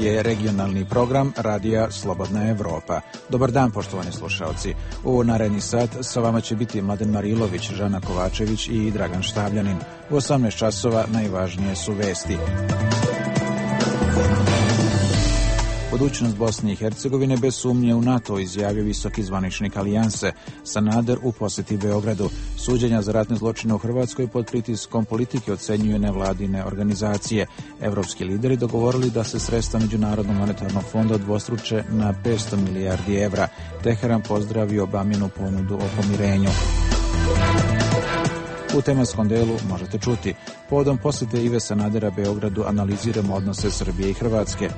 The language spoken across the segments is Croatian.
je regionalni program Radija Slobodna Evropa. Dobar dan, poštovani slušalci. U naredni sat sa vama će biti Mladen Marilović, Žana Kovačević i Dragan Štavljanin. U 18 časova najvažnije su vesti. Budućnost Bosne i Hercegovine bez sumnje u NATO, izjavio visoki zvaničnik Alijanse. Sanader u posjeti Beogradu. Suđenja za ratne zločine u Hrvatskoj pod pritiskom politike ocenjuje nevladine organizacije. Evropski lideri dogovorili da se sredstva Međunarodnog monetarnog fonda udvostruče na 500 milijardi evra. Teheran pozdravio Obaminu ponudu o pomirenju. U tematskom delu možete čuti: povodom posjete Ive Sanadera Beogradu analiziramo odnose Srbije i Hrvatske.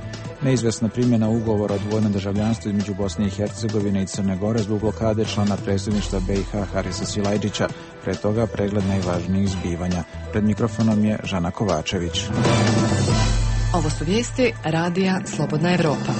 Neizvesna primjena ugovora o dvojnom državljanstvu između Bosne i Hercegovine i Crne Gore zbog blokade člana predsjedništva BiH Harisa Silajdžića. Pre toga pregled najvažnijih zbivanja. Pred mikrofonom je Žana Kovačević. Ovo su vijesti Radija Slobodna Evropa.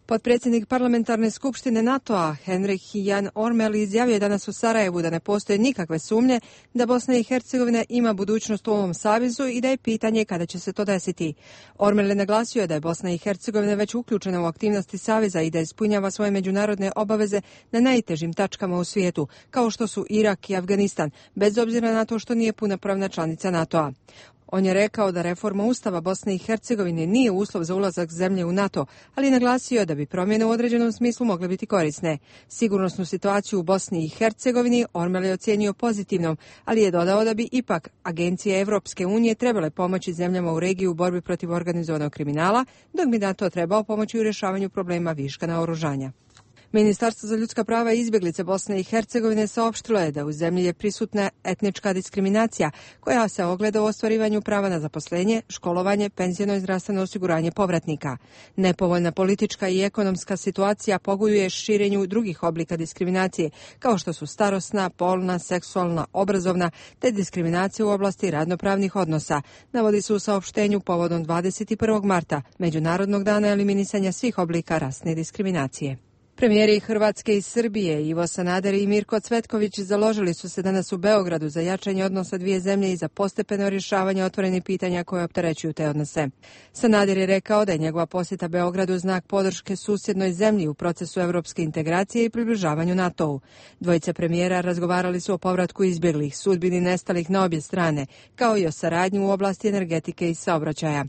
Potpredsjednik parlamentarne skupštine NATO-a Henrik Jan Ormel izjavio je danas u Sarajevu da ne postoje nikakve sumnje da Bosna i Hercegovina ima budućnost u ovom savezu i da je pitanje kada će se to desiti. Ormel je naglasio da je Bosna i Hercegovina već uključena u aktivnosti saveza i da ispunjava svoje međunarodne obaveze na najtežim tačkama u svijetu, kao što su Irak i Afganistan, bez obzira na to što nije punopravna članica NATO-a. On je rekao da reforma Ustava Bosne i Hercegovine nije uslov za ulazak zemlje u NATO, ali je naglasio da bi promjene u određenom smislu mogle biti korisne. Sigurnosnu situaciju u Bosni i Hercegovini Ormel je ocijenio pozitivnom, ali je dodao da bi ipak agencije Evropske unije trebale pomoći zemljama u regiji u borbi protiv organizovanog kriminala, dok bi NATO trebao pomoći u rješavanju problema viška naoružanja. Ministarstvo za ljudska prava i izbjeglice Bosne i Hercegovine saopštilo je da u zemlji je prisutna etnička diskriminacija koja se ogleda u ostvarivanju prava na zaposlenje, školovanje, penzijsko i zdravstveno osiguranje povratnika. Nepovoljna politička i ekonomska situacija pogoduje širenju drugih oblika diskriminacije, kao što su starosna, polna, seksualna, obrazovna te diskriminacija u oblasti radnopravnih odnosa, navodi se u saopštenju povodom 21. marta, Međunarodnog dana eliminisanja svih oblika rasne diskriminacije. Premijeri Hrvatske i Srbije Ivo Sanader i Mirko Cvetković založili su se danas u Beogradu za jačanje odnosa dvije zemlje i za postepeno rješavanje otvorenih pitanja koje opterećuju te odnose. Sanader je rekao da je njegova posjeta Beogradu znak podrške susjednoj zemlji u procesu europske integracije i približavanju NATO-u. Dvojice premijera razgovarali su o povratku izbjeglih, sudbini nestalih na obje strane, kao i o saradnji u oblasti energetike i saobraćaja.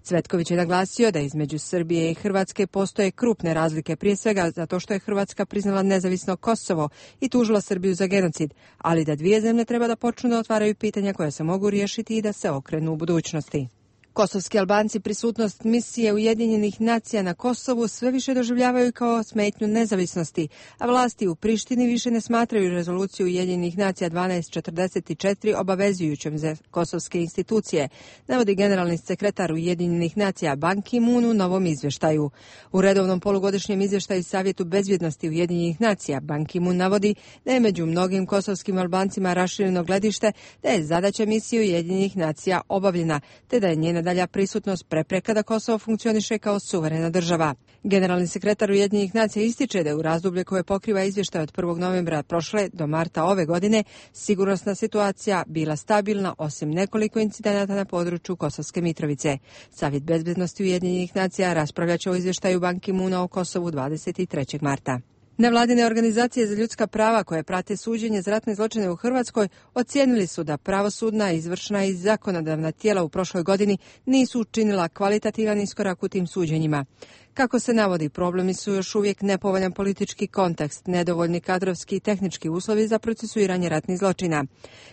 Cvetković je naglasio da između Srbije i Hrvatske postoje krupne razlike, prije svega zato što je Hrvatska priznala nezavisno Kosovo i tužila Srbiju za genocid, ali da dvije zemlje treba da počnu da otvaraju pitanja koja se mogu riješiti i da se okrenu u budućnosti. Kosovski Albanci prisutnost misije Ujedinjenih nacija na Kosovu sve više doživljavaju kao smetnju nezavisnosti, a vlasti u Prištini više ne smatraju rezoluciju Ujedinjenih nacija 1244 obavezujućom za kosovske institucije, navodi generalni sekretar Ujedinjenih nacija Ban Ki-moon u novom izvještaju. U redovnom polugodišnjem izvještaju Savjetu bezbjednosti Ujedinjenih nacija Ban Ki-moon navodi da je među mnogim kosovskim Albancima rašireno gledište da je zadaća misije Ujedinjenih nacija obavljena, te da je njena dalja prisutnost prepreka da Kosovo funkcioniše kao suverena država. Generalni sekretar Ujedinjenih nacija ističe da je u razdoblje koje pokriva izvještaj od 1. novembra prošle do marta ove godine sigurnosna situacija bila stabilna osim nekoliko incidenata na području Kosovske Mitrovice. Savjet bezbednosti Ujedinjenih nacija raspravljat će o izvještaju Ban Ki-moona o Kosovu 23. marta. Nevladine organizacije za ljudska prava koje prate suđenje za ratne zločine u Hrvatskoj ocijenili su da pravosudna, izvršna i zakonodavna tijela u prošloj godini nisu učinila kvalitativan iskorak u tim suđenjima. Kako se navodi, problemi su još uvijek nepovoljan politički kontekst, nedovoljni kadrovski i tehnički uslovi za procesuiranje ratnih zločina.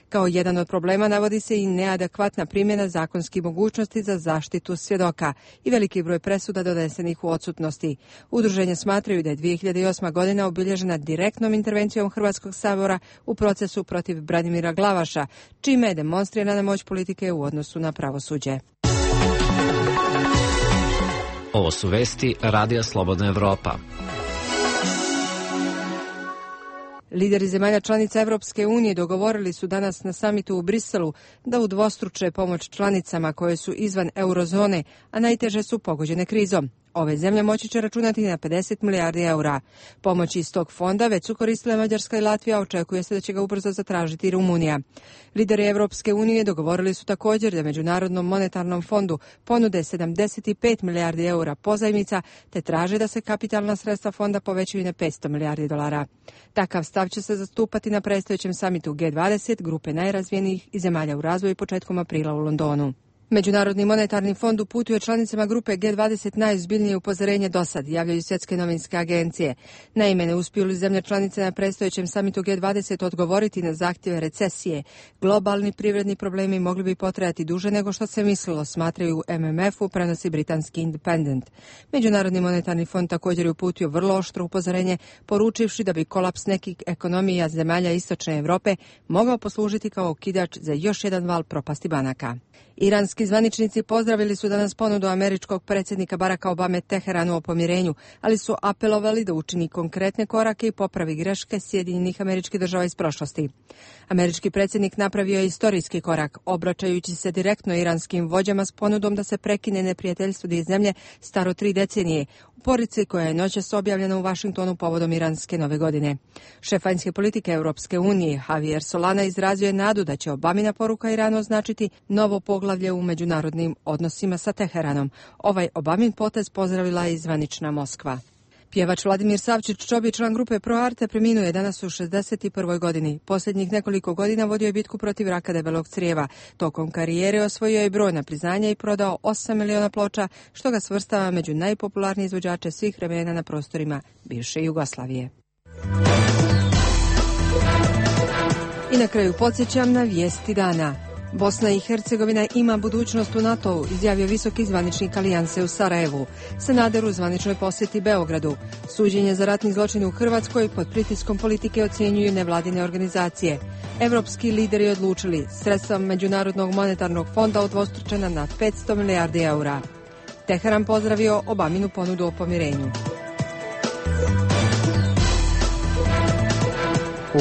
Kao jedan od problema navodi se i neadekvatna primjena zakonskih mogućnosti za zaštitu svjedoka i veliki broj presuda donesenih u odsutnosti. Udruženja smatraju da je 2008. godina obilježena direktnom intervencijom Hrvatskog sabora u procesu protiv Branimira Glavaša, čime je demonstrirana moć politike u odnosu na pravosuđe. Ovo su vesti Radija Slobodna Evropa. Lideri zemalja članica Evropske unije dogovorili su danas na samitu u Briselu da udvostruče pomoć članicama koje su izvan eurozone, a najteže su pogođene krizom. Ove zemlje moći će računati na 50 milijardi eura. Pomoći iz tog fonda već su koristile Mađarska i Latvija, očekuje se da će ga ubrzo zatražiti i Rumunija. Lideri Evropske unije dogovorili su također da Međunarodnom monetarnom fondu ponude 75 milijardi eura pozajmica, te traže da se kapitalna sredstva fonda povećaju na 500 milijardi dolara. Takav stav će se zastupati na predstojećem samitu G20 grupe najrazvijenijih i zemalja u razvoju početkom aprila u Londonu. Međunarodni monetarni fond uputuje članicama grupe G20 najozbiljnije upozorenje do sad, javljaju svjetske novinske agencije. Naime, ne uspiju li zemlje članice na predstojećem samitu G20 odgovoriti na zahtjeve recesije, globalni privredni problemi mogli bi potrajati duže nego što se mislilo, smatraju MMF-u, prenosi britanski Independent. Međunarodni monetarni fond također je uputio vrlo oštro upozorenje, poručivši da bi kolaps nekih ekonomija zemalja istočne Europe mogao poslužiti kao okidač za još jedan val propasti banaka. Iranski zvaničnici pozdravili su danas ponudu američkog predsjednika Baracka Obame Teheranu o pomirenju, ali su apelovali da učini konkretne korake i popravi greške Sjedinjenih Američkih Država iz prošlosti. Američki predsjednik napravio je istorijski korak, obraćajući se direktno iranskim vođama s ponudom da se prekine neprijateljstvo dvije zemlje staro 3 decenije, u porici koja je noćas objavljena u Vašingtonu povodom iranske nove godine. Šef vanjske politike Europske unije Javier Solana izrazio je nadu da će Obamina poruka Iranu označiti novo poglavlje u međunarodnim odnosima sa Teheranom. Ovaj Obamin potez pozdravila je i zvanična Moskva. Pjevač Vladimir Savčić-Čobi, član grupe Pro Arte, preminuo je danas u 61. godini. Posljednjih nekoliko godina vodio je bitku protiv raka debelog crijeva. Tokom karijere osvojio je brojna priznanja i prodao 8 miliona ploča, što ga svrstava među najpopularnije izvođače svih vremena na prostorima bivše Jugoslavije. I na kraju podsjećam na vijesti dana. Bosna i Hercegovina ima budućnost u NATO-u, izjavio visoki zvaničnik Alijanse u Sarajevu. Sanader u zvaničnoj posjeti Beogradu. Suđenje za ratni zločin u Hrvatskoj pod pritiskom politike ocjenjuju nevladine organizacije. Evropski lideri odlučili, sredstva Međunarodnog monetarnog fonda udvostručena na 500 milijardi eura. Teheran pozdravio Obaminu ponudu o pomirenju.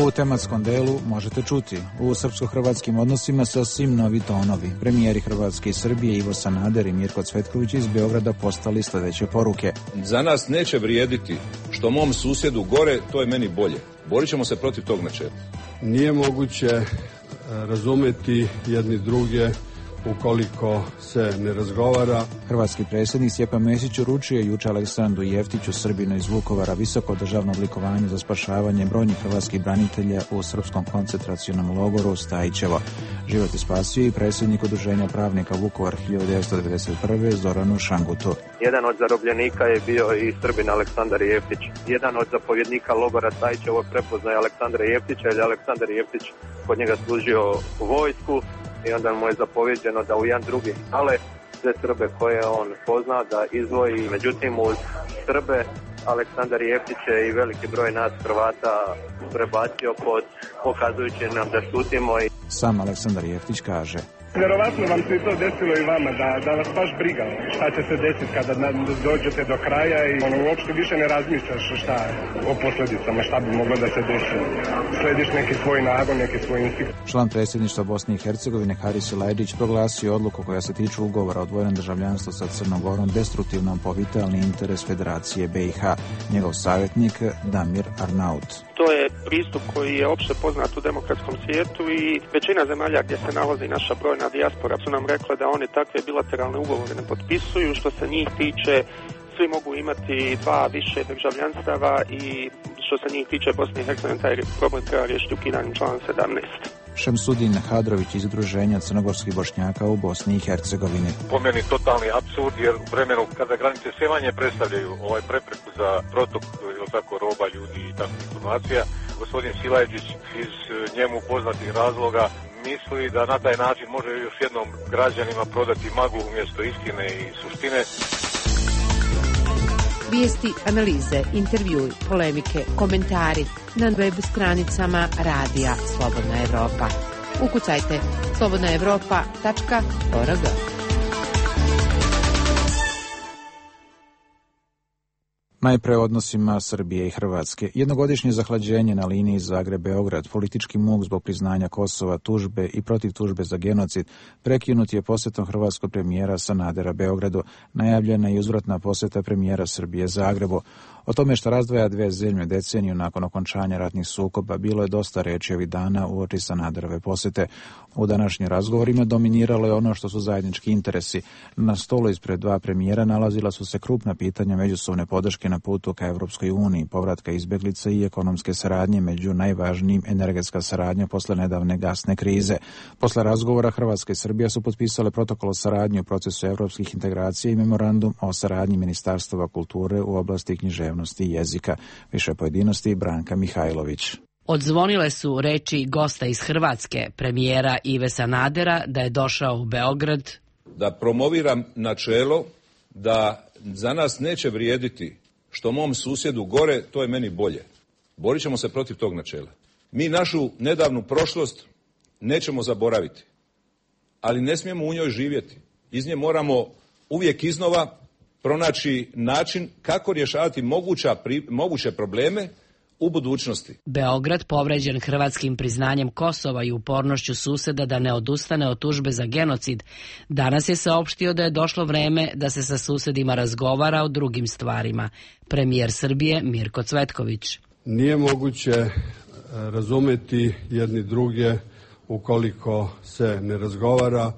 U tematskom delu možete čuti: u srpsko-hrvatskim odnosima sasvim novi tonovi. Premijeri Hrvatske i Srbije Ivo Sanader i Mirko Cvetković iz Beograda postali sljedeće poruke. Za nas neće vrijediti što mom susjedu gore, to je meni bolje. Borit ćemo se protiv tog načela. Nije moguće razumjeti jedni druge ukoliko se ne razgovara. Hrvatski predsjednik Stjepan Mesić uručio jučer Aleksandru Jeftiću, Srbinu iz Vukovara, visoko državno odlikovanje za spašavanje brojnih hrvatskih branitelja u srpskom koncentracionom logoru Stajićevo. Život je spasio i predsjednik Udruženja pravnika Vukovar 1991. Zoranu Šangutu. Jedan od zarobljenika je bio i Srbin Aleksandar Jeftić. Jedan od zapovjednika logora Stajićevo prepoznaje Aleksandra Jeftića, jer je Aleksandar Jeftić kod njega služio u vojsku. I onda mu je zapovjeđeno da u jedan drugi ale sve Srbe koje on pozna da izdvoji. Međutim, uz Srbe Aleksandar Jeftić je i veliki broj nas Hrvata prebacio pod pokazujući nam da šutimo. Sam Aleksandar Jeftić kaže: vjerovatno vam se to desilo i vama, da vas baš briga šta će se desiti kada dođete do kraja i uopšte više ne razmišljaš šta o posljedicama, šta bi moglo da se desi. Slediš neki svoj nagon, neki svoj instinkt. Član predsjedništva Bosne i Hercegovine Haris Silajdžić proglasio odluku koja se tiče ugovora o dvojnom državljanstvu sa Crnom Gorom destruktivnom po vitalni interes Federacije BiH. Njegov savjetnik Damir Arnaut. To je pristup koji je opšte poznat u demokratskom svijetu i većina zemalja gdje se nalazi naša brojna dijaspora su nam rekle da oni takve bilateralne ugovore ne potpisuju. Što se njih tiče, svi mogu imati 2 više državljanstava i što se njih tiče Bosne i Hercegovine, taj problem treba riješiti ukidanjem člana 17. Šemsudin Hadrović iz Udruženja crnogorskih Bošnjaka u Bosni i Hercegovini. Po meni totalni apsurd, jer u vremenu kada granice sve manje predstavljaju prepreku za protok roba, ljudi i takvih informacija, gospodin Silajdžić iz njemu poznatih razloga misli da na taj način može još jednom građanima prodati maglu umjesto istine i suštine. Vijesti, analize, intervjui, polemike, komentari na web stranicama Radija Slobodna Evropa. Ukucajte slobodnaevropa.org. Najpre o odnosima Srbije i Hrvatske. Jednogodišnje zahlađenje na liniji Zagreb-Beograd, politički muk zbog priznanja Kosova, tužbe i protiv tužbe za genocid, prekinut je posjetom hrvatskog premijera Sanadera Beogradu, najavljena i uzvratna posjeta premijera Srbije Zagrebu. O tome što razdvaja dve zemlje deceniju nakon okončanja ratnih sukoba bilo je dosta reči ovih dana uoči Sanaderove posjete. U današnjim razgovorima dominiralo je ono što su zajednički interesi. Na stolu ispred dva premijera nalazila su se krupna pitanja međusobne podrške na putu ka Evropskoj uniji, povratka izbjeglica i ekonomske saradnje, među najvažnijim energetska saradnja posle nedavne gasne krize. Posle razgovora Hrvatska i Srbija su potpisale protokol o saradnji u procesu evropskih integracija i memorandum o saradnji ministarstava kulture u oblasti književnosti i jezika. Više pojedinosti Branka Mihajlović. Odzvonile su reči gosta iz Hrvatske, premijera Ive Sanadera, da je došao u Beograd. Da promoviram načelo da za nas neće vrijediti što mom susjedu gore, to je meni bolje. Borit ćemo se protiv tog načela. Mi našu nedavnu prošlost nećemo zaboraviti, ali ne smijemo u njoj živjeti. Iz nje moramo uvijek iznova pronaći način kako rješavati moguće probleme u budućnosti. Beograd, povređen hrvatskim priznanjem Kosova i upornošću suseda da ne odustane od tužbe za genocid, danas je saopštio da je došlo vreme da se sa susedima razgovara o drugim stvarima. Premijer Srbije Mirko Cvetković. Nije moguće razumeti jedni druge ukoliko se ne razgovara.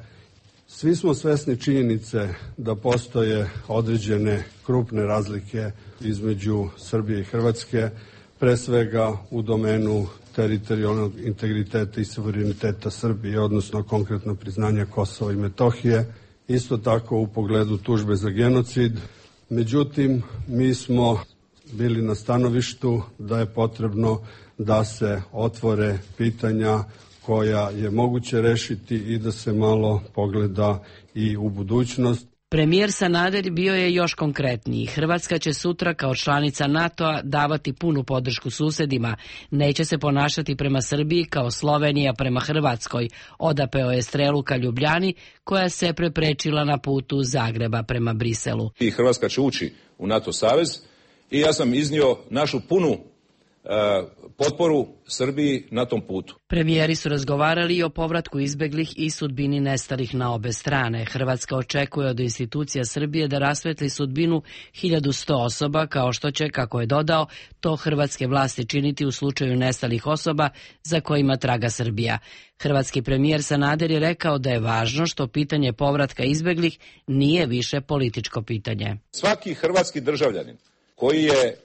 Svi smo svesni činjenice da postoje određene krupne razlike između Srbije i Hrvatske, pre svega u domenu teritorijalnog integriteta i suvereniteta Srbije, odnosno konkretno priznanja Kosova i Metohije, isto tako u pogledu tužbe za genocid. Međutim, mi smo bili na stanovištu da je potrebno da se otvore pitanja koja je moguće rešiti i da se malo pogleda i u budućnost. Premijer Sanader bio je još konkretniji. Hrvatska će sutra kao članica NATO-a davati punu podršku susedima. Neće se ponašati prema Srbiji kao Slovenija prema Hrvatskoj. Odapeo je strelu ka Ljubljani koja se preprečila na putu Zagreba prema Briselu. I Hrvatska će ući u NATO savez i ja sam iznio našu punu potporu Srbiji na tom putu. Premijeri su razgovarali i o povratku izbeglih i sudbini nestalih na obe strane. Hrvatska očekuje od institucija Srbije da rasvetli sudbinu 1100 osoba, kao što će, kako je dodao, to hrvatske vlasti činiti u slučaju nestalih osoba za kojima traga Srbija. Hrvatski premijer Sanader je rekao da je važno što pitanje povratka izbeglih nije više političko pitanje. Svaki hrvatski državljanin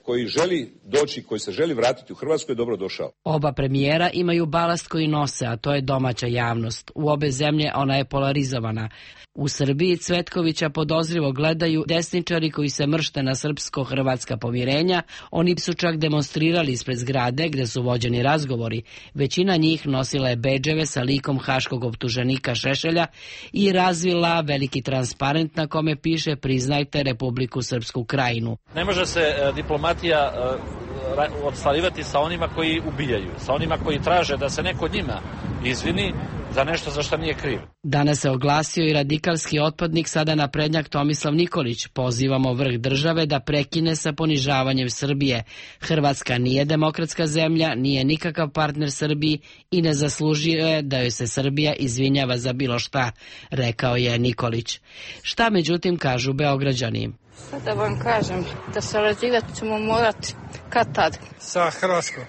koji želi doći, koji se želi vratiti u Hrvatsku je dobro došao. Oba premijera imaju balast koji nose, a to je domaća javnost. U obe zemlje ona je polarizovana. U Srbiji Cvetkovića podozrivo gledaju desničari koji se mršte na srpsko-hrvatska pomirenja. Oni su čak demonstrirali ispred zgrade gde su vođeni razgovori. Većina njih nosila je bedževe sa likom haškog optuženika Šešelja i razvila veliki transparent na kome piše priznajte Republiku Srpsku Krajinu. Ne može se diplomatija odstvarivati sa onima koji ubijaju, sa onima koji traže da se neko njima izvini za nešto za što nije kriv. Danas se oglasio i radikalski otpadnik, sada naprednjak Tomislav Nikolić. Pozivamo vrh države da prekine sa ponižavanjem Srbije. Hrvatska nije demokratska zemlja, nije nikakav partner Srbiji i ne zaslužuje da joj se Srbija izvinjava za bilo šta, rekao je Nikolić. Šta međutim kažu Beograđani? Sad da vam kažem, da sarađivati ćemo morati kad tad. Sa Hrvatskom.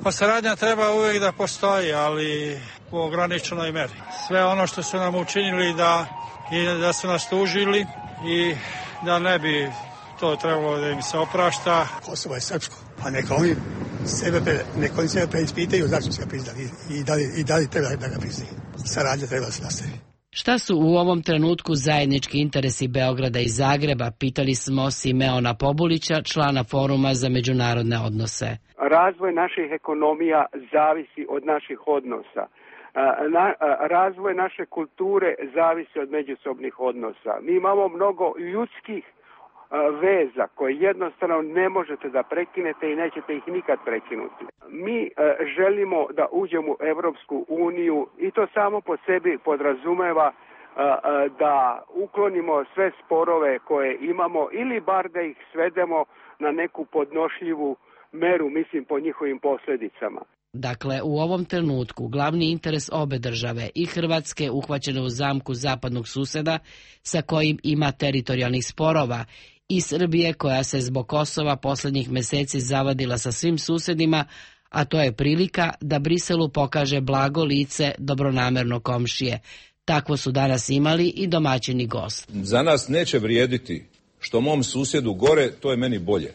Pa saradnja treba uvijek da postoji, ali u ograničenoj meri. Sve ono što su nam učinili da su nas tužili i da ne bi to trebalo da im se oprašta. Kosovo je srpsko, a neka oni sebe preispitaju zašto se ga priznali i da li treba da ga priznaju. Saradnja treba da se nastavi. Šta su u ovom trenutku zajednički interesi Beograda i Zagreba, pitali smo Simeona Pobulića, člana Foruma za međunarodne odnose. Razvoj naših ekonomija zavisi od naših odnosa. Razvoj naše kulture zavisi od međusobnih odnosa. Mi imamo mnogo ljudskih veza koje jednostavno ne možete da prekinete i nećete ih nikad prekinuti. Mi želimo da uđemo u Evropsku uniju i to samo po sebi podrazumeva da uklonimo sve sporove koje imamo ili bar da ih svedemo na neku podnošljivu meru, mislim, po njihovim posljedicama. Dakle, u ovom trenutku glavni interes obe države, i Hrvatske uhvaćene u zamku zapadnog suseda sa kojim ima teritorijalnih sporova, i Srbije koja se zbog Kosova posljednjih mjeseci zavadila sa svim susjedima, a to je prilika da Briselu pokaže blago lice dobronamerno komšije. Takvo su danas imali i domaćini gost. Za nas neće vrijediti što mom susjedu gore, to je meni bolje.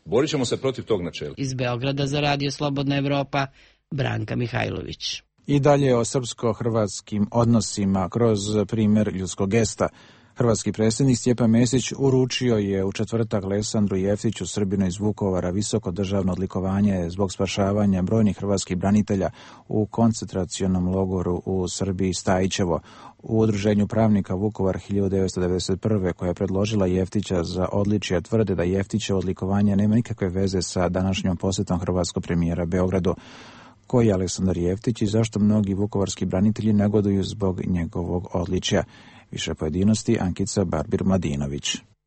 Borit ćemo se protiv tog načela. Iz Beograda za Radio Slobodna Evropa, Branka Mihajlović. I dalje o srpsko-hrvatskim odnosima kroz primjer ljudskog gesta. Hrvatski predsjednik Stjepan Mesić uručio je u četvrtak Aleksandru Jeftiću, Srbinu iz Vukovara, visoko državno odlikovanje zbog spašavanja brojnih hrvatskih branitelja u koncentracionom logoru u Srbiji Stajićevo. U Udruženju pravnika Vukovar 1991. koja je predložila Jeftića za odličje, tvrde da Jeftićevo odlikovanje nema nikakve veze sa današnjom posjetom hrvatskog premijera Beogradu. Koji je Aleksandar Jeftić i zašto mnogi vukovarski branitelji negoduju zbog njegovog odličja? Više pojedinosti, Ankica Barbir-Mladinović.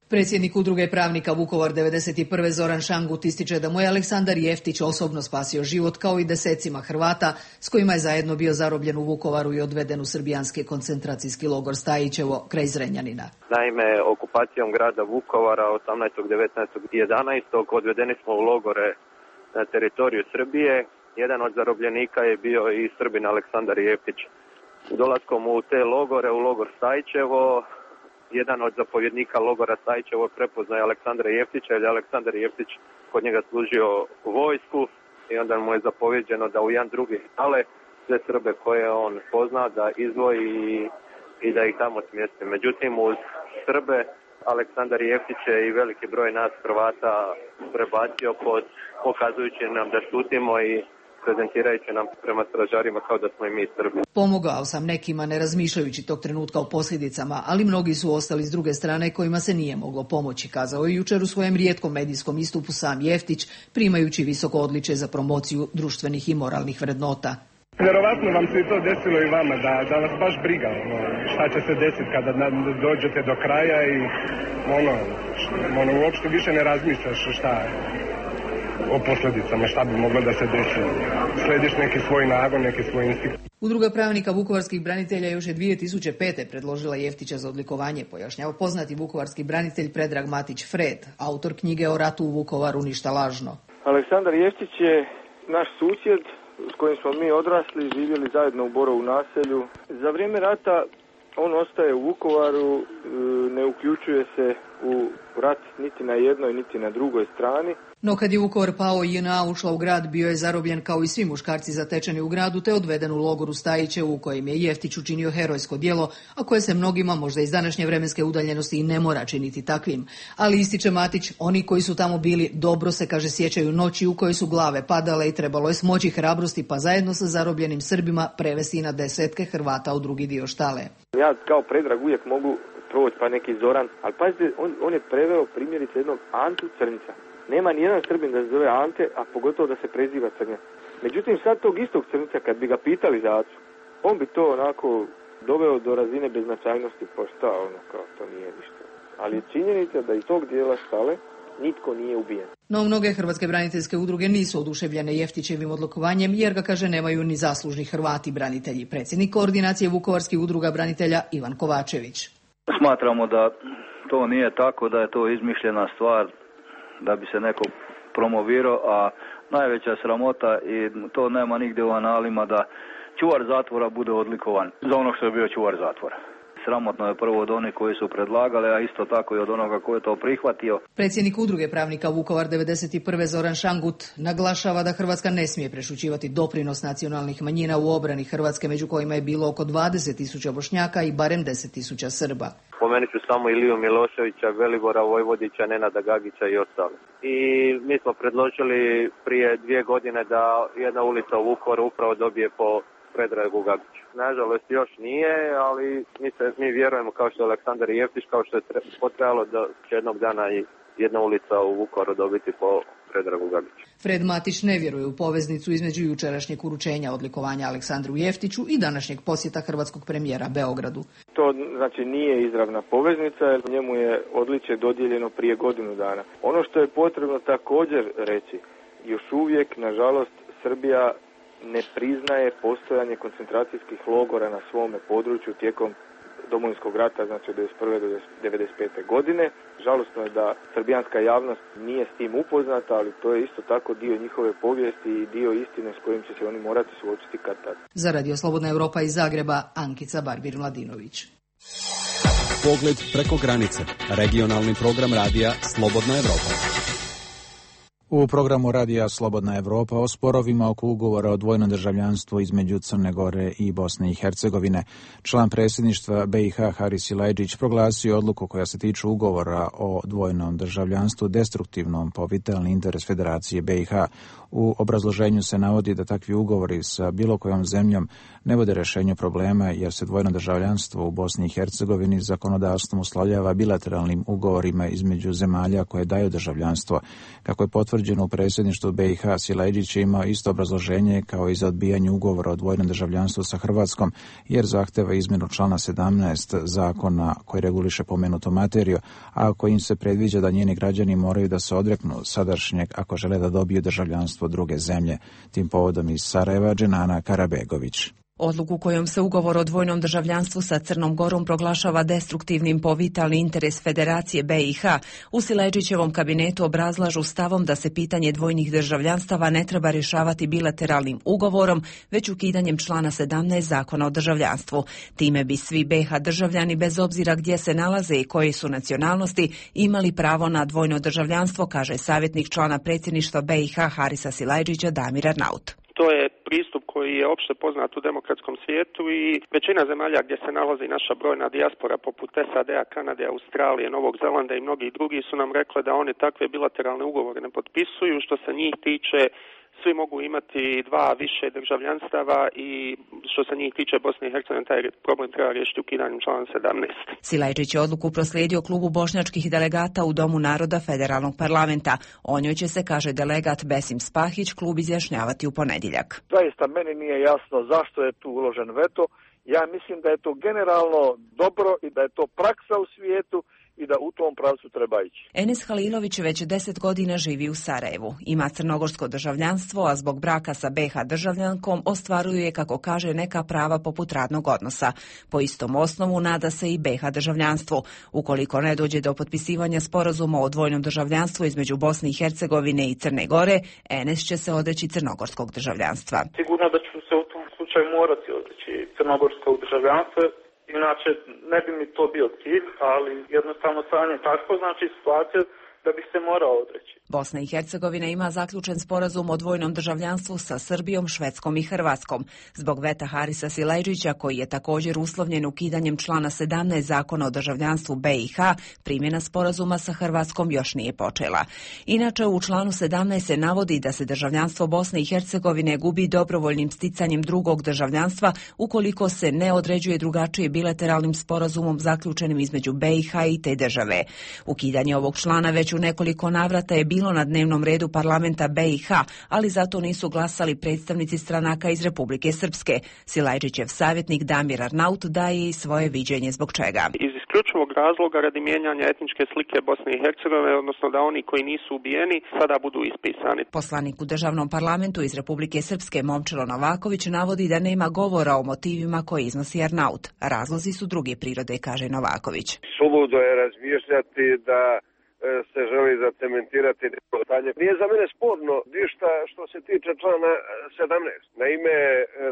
Predsjednik Udruge pravnika Vukovar 91. Zoran Šangut ističe da mu je Aleksandar Jeftić osobno spasio život kao i desecima Hrvata s kojima je zajedno bio zarobljen u Vukovaru i odveden u srbijanski koncentracijski logor Stajićevo kraj Zrenjanina. Naime, okupacijom grada Vukovara 18., 19. i 11. odvedeni smo u logore na teritoriju Srbije. Jedan od zarobljenika je bio i Srbin Aleksandar Jeftić. Dolaskom u te logore, u logor Stajićevo, jedan od zapovjednika logora Stajićevo prepoznaje Aleksandra Jeftića, jer je Aleksandar Jeftić kod njega služio vojsku i onda mu je zapovjeđeno da u jedan drugi ale sve Srbe koje on pozna da izdvoji i da ih tamo smjesti. Međutim, uz Srbe Aleksandar Jeftić je i veliki broj nas Hrvata prebacio pokazujući nam da šutimo i prezentirajući nam prema stražarima kao da smo i mi Srbi. Pomogao sam nekima ne razmišljajući tog trenutka o posljedicama, ali mnogi su ostali s druge strane kojima se nije moglo pomoći, kazao je jučer u svojem rijetkom medijskom istupu sam Jeftić, primajući visoko odličje za promociju društvenih i moralnih vrednota. Vjerovatno vam se i to desilo i vama, da vas baš briga šta će se desiti kada dođete do kraja i uopšte više ne razmišljaš šta o posljedicama, šta bi moglo da se desi. Slediš neki svoj nagon, neki svoj instinkt. Udruga pravnika vukovarskih branitelja još je 2005. predložila Jeftića za odlikovanje, pojašnjava poznati vukovarski branitelj Predrag Matić Fred, autor knjige o ratu u Vukovaru Ništa lažno. Aleksandar Jeftić je naš susjed s kojim smo mi odrasli, živjeli zajedno u Borovu naselju. Za vrijeme rata on ostaje u Vukovaru, ne uključuje se u rat niti na jednoj niti na drugoj strani. No kad je Vukovar pao i JNA ušla u grad, bio je zarobljen kao i svi muškarci zatečeni u gradu te odveden u logoru Stajićevu u kojem je Jeftić učinio herojsko djelo, a koje se mnogima možda iz današnje vremenske udaljenosti i ne mora činiti takvim. Ali ističe Matić, oni koji su tamo bili dobro se, kaže, sjećaju noći u kojoj su glave padale i trebalo je smoći hrabrosti pa zajedno sa zarobljenim Srbima prevesti na desetke Hrvata u drugi dio štale. Ja kao Predrag uvijek mogu proći pa neki Zoran, ali pazite, on je preveo primjerice jednog Antu Crnca. Nema ni jedan Srbin da se zove Ante, a pogotovo da se preziva Crnjac. Međutim, sad tog istog Crnca, kad bi ga pitali za Acu, on bi to onako doveo do razine beznačajnosti, pa šta, kao to nije ništa. Ali je činjenica da iz tog dijela štale nitko nije ubijen. No, mnoge hrvatske braniteljske udruge nisu oduševljene Jeftićevim odlikovanjem, jer ga, kaže, nemaju ni zaslužni Hrvati branitelji. Predsjednik koordinacije vukovarskih udruga branitelja Ivan Kovačević. Smatramo da to nije tako, da je to izmišljena stvar, da bi se neko promovirao, a najveća sramota, i to nema nigdje u analima, da čuvar zatvora bude odlikovan za ono što je bio čuvar zatvora. Sramotno je prvo od onih koji su predlagali, a isto tako i od onoga koji je to prihvatio. Predsjednik Udruge pravnika Vukovar 91. Zoran Šangut naglašava da Hrvatska ne smije prešućivati doprinos nacionalnih manjina u obrani Hrvatske, među kojima je bilo oko 20.000 Bošnjaka i barem 10.000 Srba. Spomenut ću samo Iliju Miloševića, Velibora Vojvodića, Nenada Gagića i ostale. I mi smo predložili prije 2 godine da jedna ulica u Vukovaru upravo dobije po Predragu Gagiću. Nažalost još nije, ali mi vjerujemo, kao što je Aleksandar Jeftić, kao što je potrebalo, da će jednog dana jedna ulica u Vukovaru dobiti po Predragu Gagiću. Fred Matić ne vjeruje u poveznicu između jučerašnjeg uručenja odlikovanja Aleksandru Jeftiću i današnjeg posjeta hrvatskog premijera Beogradu. To znači nije izravna poveznica, jer njemu je odličje dodijeljeno prije godinu dana. Ono što je potrebno također reći, još uvijek, nažalost, Srbija ne priznaje postojanje koncentracijskih logora na svome području tijekom Domovinskog rata, znači od 1991. do 1995. godine. Žalosno je da srbijanska javnost nije s tim upoznata, ali to je isto tako dio njihove povijesti i dio istine s kojim će se oni morati suočiti kad tad. Za Radio Slobodna Europa iz Zagreba, Ankica Barbir-Mladinović. Pogled preko granice. Regionalni program radija Slobodna Europa. U programu radija Slobodna Europa o sporovima oko ugovora o dvojnom državljanstvu između Crne Gore i Bosne i Hercegovine. Član predsjedništva BiH Haris Silajdžić proglasio odluku koja se tiče ugovora o dvojnom državljanstvu destruktivnom po vitalni interes Federacije BiH. U obrazloženju se navodi da takvi ugovori sa bilo kojom zemljom ne vode rješenju problema jer se dvojno državljanstvo u Bosni i Hercegovini zakonodavstvom uslovljava bilateralnim ugovorima između zemalja koje daju državljanstvo. Kako je potvrđeno u predsjedništvu BiH, Silajdžić je imao isto obrazloženje kao i za odbijanje ugovora o dvojnom državljanstvu sa Hrvatskom, jer zahteva izmjenu člana 17 zakona koji reguliše pomenutu materiju, a kojim se predviđa da njeni građani moraju da se odreknu sadašnjeg ako žele da dobiju državljanstvo druge zemlje. Tim povodom iz Sarajeva Dženana Karabegović. Odluku kojom se ugovor o dvojnom državljanstvu sa Crnom Gorom proglašava destruktivnim po vitalni interes Federacije BiH, u Silajdžićevom kabinetu obrazlažu stavom da se pitanje dvojnih državljanstava ne treba rješavati bilateralnim ugovorom, već ukidanjem člana 17 zakona o državljanstvu. Time bi svi BiH državljani, bez obzira gdje se nalaze i koje su nacionalnosti, imali pravo na dvojno državljanstvo, kaže savjetnik člana predsjedništva BiH Harisa Silajdžića Damir Arnaut. To je pristup koji je opšte poznat u demokratskom svijetu i većina zemalja gdje se nalazi naša brojna dijaspora poput SAD-a, Kanade, Australije, Novog Zelanda i mnogi drugi su nam rekli da oni takve bilateralne ugovore ne potpisuju. Što se njih tiče, svi mogu imati dva više državljanstava i što se njih tiče Bosne i Hercegovine, taj problem treba riješiti ukidanjem člana 17. Silajdžić je odluku proslijedio klubu bošnjačkih delegata u Domu naroda Federalnog parlamenta. O njoj će se, kaže delegat Besim Spahić, klub izjašnjavati u ponedjeljak. Zaista meni nije jasno zašto je tu uložen veto. Ja mislim da je to generalno dobro i da je to praksa u svijetu i da u tom pravcu treba ići. Enes Halilović već 10 godina živi u Sarajevu. Ima crnogorsko državljanstvo, a zbog braka sa BiH državljankom ostvaruje, kako kaže, neka prava poput radnog odnosa. Po istom osnovu nada se i BiH državljanstvu. Ukoliko ne dođe do potpisivanja sporazuma o dvojnom državljanstvu između Bosne i Hercegovine i Crne Gore, Enes će se odreći crnogorskog državljanstva. Sigurno da ću se u tom slučaju morati odreći crnogorskog državljanstva. Inače, ne bi mi to bio cilj, ali jednostavno stanje tako, znači situacija da bi se morao odreći. Bosna i Hercegovina ima zaključen sporazum o dvojnom državljanstvu sa Srbijom, Švedskom i Hrvatskom. Zbog veta Harisa Silajdžića, koji je također uslovljen ukidanjem člana 17 zakona o državljanstvu BiH, primjena sporazuma sa Hrvatskom još nije počela. Inače, u članu 17 se navodi da se državljanstvo Bosne i Hercegovine gubi dobrovoljnim sticanjem drugog državljanstva ukoliko se ne određuje drugačije bilateralnim sporazumom zaključenim između BiH i te države. Ukidanje ovog člana već u nekoliko navrata je bilo na dnevnom redu parlamenta BiH, ali zato nisu glasali predstavnici stranaka iz Republike Srpske. Silajdžićev savjetnik Damir Arnaut daje i svoje viđenje zbog čega. Iz isključivog razloga radi mijenjanja etničke slike Bosne i Hercegovine, odnosno da oni koji nisu ubijeni sada budu ispisani. Poslanik u državnom parlamentu iz Republike Srpske Momčilo Novaković navodi da nema govora o motivima koje iznosi Arnaut. Razlozi su druge prirode, kaže Novaković. Suludo je razmišljati da se želi zacementirati stanje. Nije za mene sporno ništa što se tiče člana 17. Naime,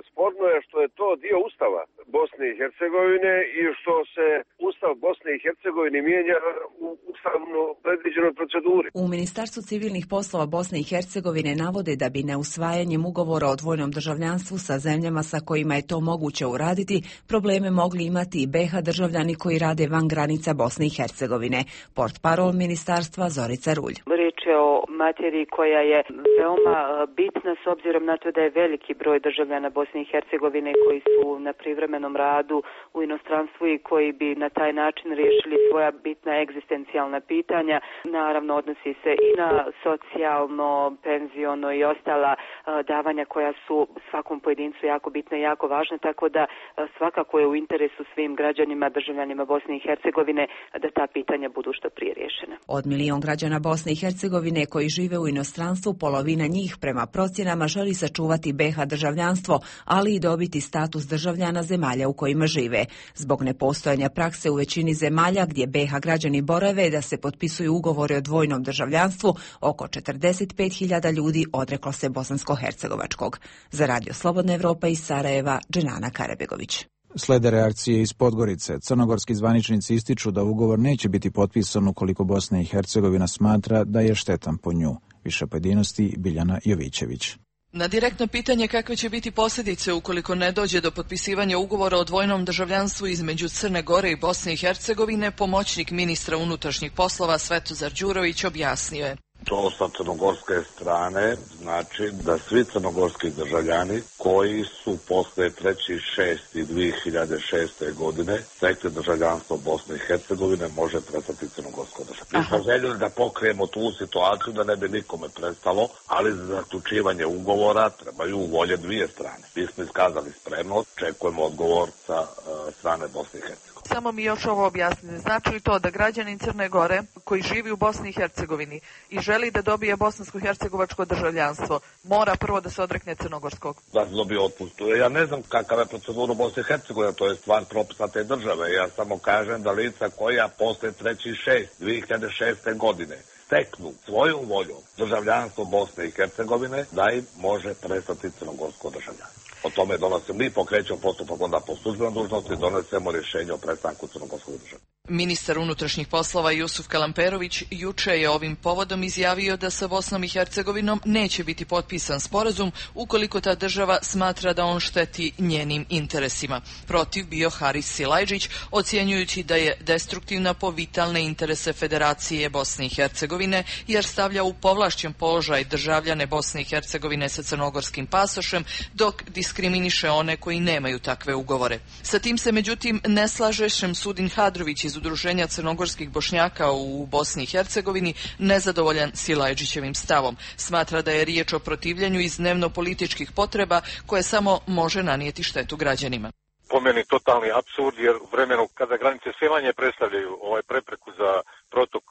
sporno je što je to dio Ustava Bosne i Hercegovine i što se Ustav Bosne i Hercegovine mijenja u ustavno predviđenoj proceduri. U Ministarstvu civilnih poslova Bosne i Hercegovine navode da bi neusvajanjem ugovora o dvojnom državljanstvu sa zemljama sa kojima je to moguće uraditi, probleme mogli imati i BiH državljani koji rade van granica Bosne i Hercegovine. Portparol Ministarstva ministarstva Zorica Rulj. Riječ je o materiji koja je veoma bitna s obzirom na to da je veliki broj državljana Bosne i Hercegovine koji su na privremenom radu u inostranstvu i koji bi na taj način riješili svoja bitna egzistencijalna pitanja. Naravno, odnosi se i na socijalno, penziono i ostala davanja koja su svakom pojedincu jako bitna i jako važna, tako da svakako je u interesu svim građanima, državljanima Bosne i Hercegovine da ta pitanja budu što prije riješena. Od 1 milion građana Bosne i Hercegovine koji žive u inostranstvu, polovina njih prema procjenama želi sačuvati BiH državljanstvo, ali i dobiti status državljana zemalja u kojima žive. Zbog nepostojanja prakse u većini zemalja gdje BiH građani borave da se potpisuju ugovori o dvojnom državljanstvu, oko 45.000 ljudi odreklo se bosansko-hercegovačkog. Za Radio Slobodna Evropa iz Sarajeva, Dženana Karabegović. Slede reakcije iz Podgorice. Crnogorski zvaničnici ističu da ugovor neće biti potpisan ukoliko Bosna i Hercegovina smatra da je štetan po nju. Više pojedinosti Biljana Jovićević. Na direktno pitanje kakve će biti posljedice ukoliko ne dođe do potpisivanja ugovora o dvojnom državljanstvu između Crne Gore i Bosne i Hercegovine, pomoćnik ministra unutrašnjih poslova Svetozar Đurović objasnio je. To sa crnogorske strane znači da svi crnogorski državljani koji su posle 3.6.2006. godine stekli državljanstvo Bosne i Hercegovine može prestati crnogorsko državljanstvo. Mi smo željeli da pokrijemo tu situaciju da ne bi nikome prestalo, ali za zaključivanje ugovora trebaju volje dvije strane. Mi smo iskazali spremnost, čekujemo odgovor sa strane Bosne i Hercegovine. Samo mi još ovo objasnite. Znači li to da građanin Crne Gore koji živi u Bosni i Hercegovini i želi da dobije bosansko-hercegovačko državljanstvo mora prvo da se odrekne crnogorskog? Da se dobije otpust. Ja ne znam kakav je procedura u Bosni i Hercegovini, to je stvar propisa te države. Ja samo kažem da lica koja posle 3.6.2006. godine steknu svojom voljom državljanstvo Bosne i Hercegovine, da im može prestati crnogorsko državljanstvo. O tome donosimo, mi pokrećemo postupak onda po službenoj dužnosti i donesemo rješenje o prestanku crnogorskog državljanstva. Ministar unutrašnjih poslova Jusuf Kalamperović juče je ovim povodom izjavio da sa Bosnom i Hercegovinom neće biti potpisan sporazum ukoliko ta država smatra da on šteti njenim interesima. Protiv bio Haris Silajđić, ocjenjujući da je destruktivna po vitalne interese Federacije Bosne i Hercegovine, jer stavlja u povlašćen položaj državljane Bosne i Hercegovine sa crnogorskim pasošem, dok diskriminiše one koji nemaju takve ugovore. Sa tim se međutim ne slaže Šemsudin Hadrović iz Udruženja crnogorskih Bošnjaka u Bosni i Hercegovini, nezadovoljan Silajđićevim stavom. Smatra da je riječ o protivljenju iz dnevno-političkih potreba koje samo može nanijeti štetu građanima. Po meni totalni apsurd, jer u vremenu kada granice sve manje predstavljaju prepreku za protok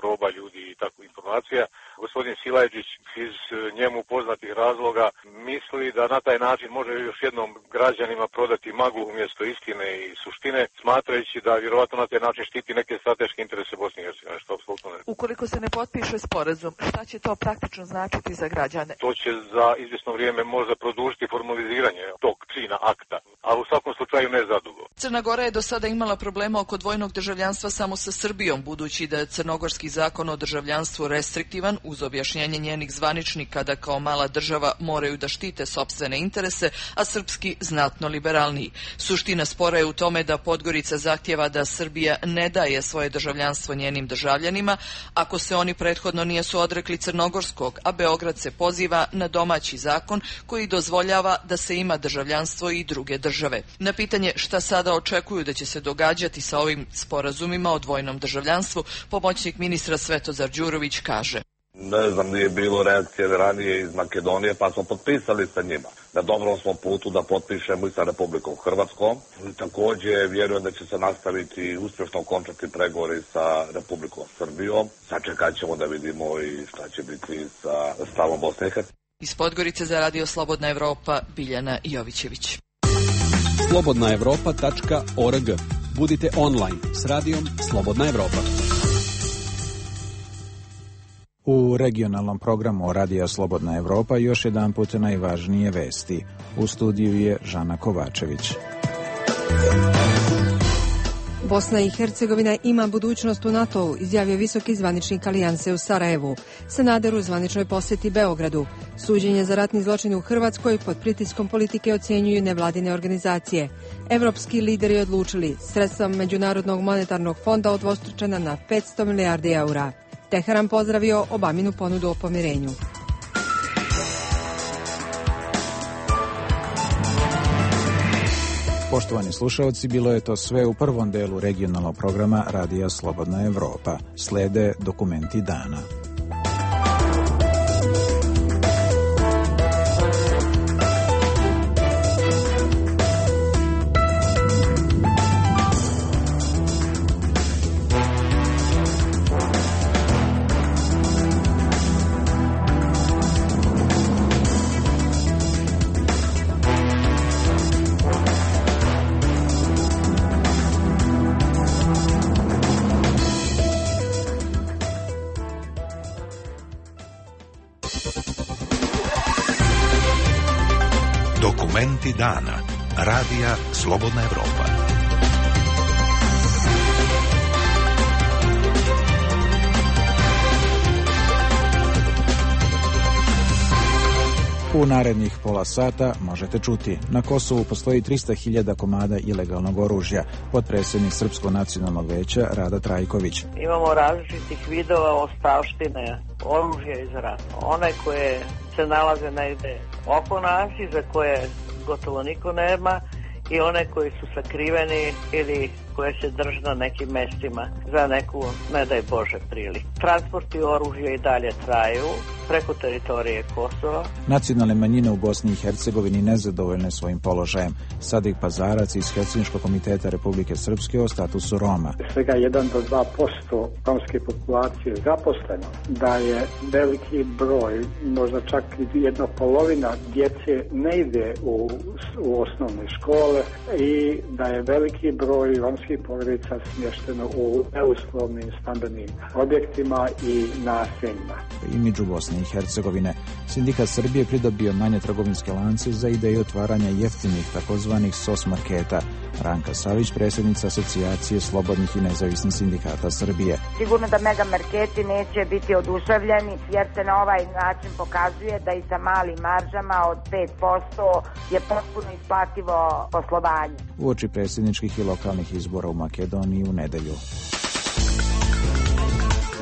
roba, ljudi i tako informacija, gospodin Silajđić iz njemu poznatih razloga misli da na taj način može još jednom građanima prodati maglu umjesto istine i suštine, smatrajući da vjerovatno na taj način štiti neke strateške interese Bosne i Hercegovine, što apsolutno ne. Ukoliko se ne potpiše sporazum, šta će to praktično značiti za građane? To će za izvjesno vrijeme možda produžiti formaliziranje tog čina akta, a u svakom slučaju ne zadugo. Crna Gora je do sada imala problema oko dvojnog državljanstva samo sa Srbijom, budući da je crnogorski zakon o državljanstvu restriktivan, uz objašnjenje njenih zvaničnika da kao mala država moraju da štite sopstvene interese, a srpski znatno liberalniji. Suština spora je u tome da Podgorica zahtjeva da Srbija ne daje svoje državljanstvo njenim državljanima ako se oni prethodno nisu odrekli crnogorskog, a Beograd se poziva na domaći zakon koji dozvoljava da se ima državljanstvo i druge države. Na pitanje šta sada očekuju da će se događati sa ovim sporazumima o dvojnom državljanstvu, pomoćnik ministra Svetozar Đurović kaže: Ne znam, nije bilo reakcije ranije iz Makedonije, pa smo potpisali sa njima. Na dobrom smo putu da potpišemo i sa Republikom Hrvatskom. Također vjerujem da će se nastaviti i uspješno okončati pregovori sa Republikom Srbijom. Sačekat ćemo da vidimo i šta će biti sa stavom Bosne i Hercegovine. Iz Podgorice za Radio Slobodna Evropa, Biljana Jovićević. slobodnaevropa.org. Budite online s radijom Slobodna Evropa. U regionalnom programu Radija Slobodna Evropa još jedan put najvažnije vesti. U studiju je Žana Kovačević. Bosna i Hercegovina ima budućnost u NATO-u, izjavio visoki zvaničnik Alijanse u Sarajevu. Sanader u zvaničnoj posjeti Beogradu. Suđenje za ratni zločin u Hrvatskoj pod pritiskom politike ocjenjuju nevladine organizacije. Evropski lideri odlučili sredstva Međunarodnog monetarnog fonda udvostručena na 500 milijardi eura. Teheran pozdravio Obaminu ponudu o pomirenju. Poštovani slušalci, bilo je to sve u prvom delu regionalnog programa Radija Slobodna Evropa. Slede dokumenti dana. Dokumenti dana. Radija Slobodna Evropa. U narednih pola sata možete čuti: na Kosovu postoji 300.000 komada ilegalnog oružja. Potpredsjednik Srpskog nacionalnog veća Rada Trajković. Imamo različitih vidova ostavštine oružja iz rata. One koje se nalaze negde oko nas i za koje gotovo niko nema, i one koji su sakriveni ili koje se drže na nekim mestima za neku, ne daj Bože, priliku. Transporti oružja i dalje traju preko teritorije Kosova. Nacionalne manjine u Bosni i Hercegovini nezadovoljne svojim položajem. Sadik Pazarac iz Helsinškog komiteta Republike Srpske o statusu Roma. Svega 1 do 2% romske populacije zaposleno, da je veliki broj, možda čak i 1/2 djece ne ide u osnovne škole i da je veliki broj romskih porodica smješteno u neuslovnim stambenim objektima i naseljima. Imidžu Bosne i Hercegovine. Sindikat Srbije pridobio manje trgovinske lance za ideju otvaranja jeftinih takozvanih SOS marketa. Ranka Savić, predsjednica Asocijacije slobodnih i nezavisnih sindikata Srbije. Sigurno da mega marketi neće biti oduševljeni, jer se na ovaj način pokazuje da i sa malim maržama od 5% je potpuno isplativo poslovanje. Uoči predsjedničkih i lokalnih izbora u Makedoniji u nedelju.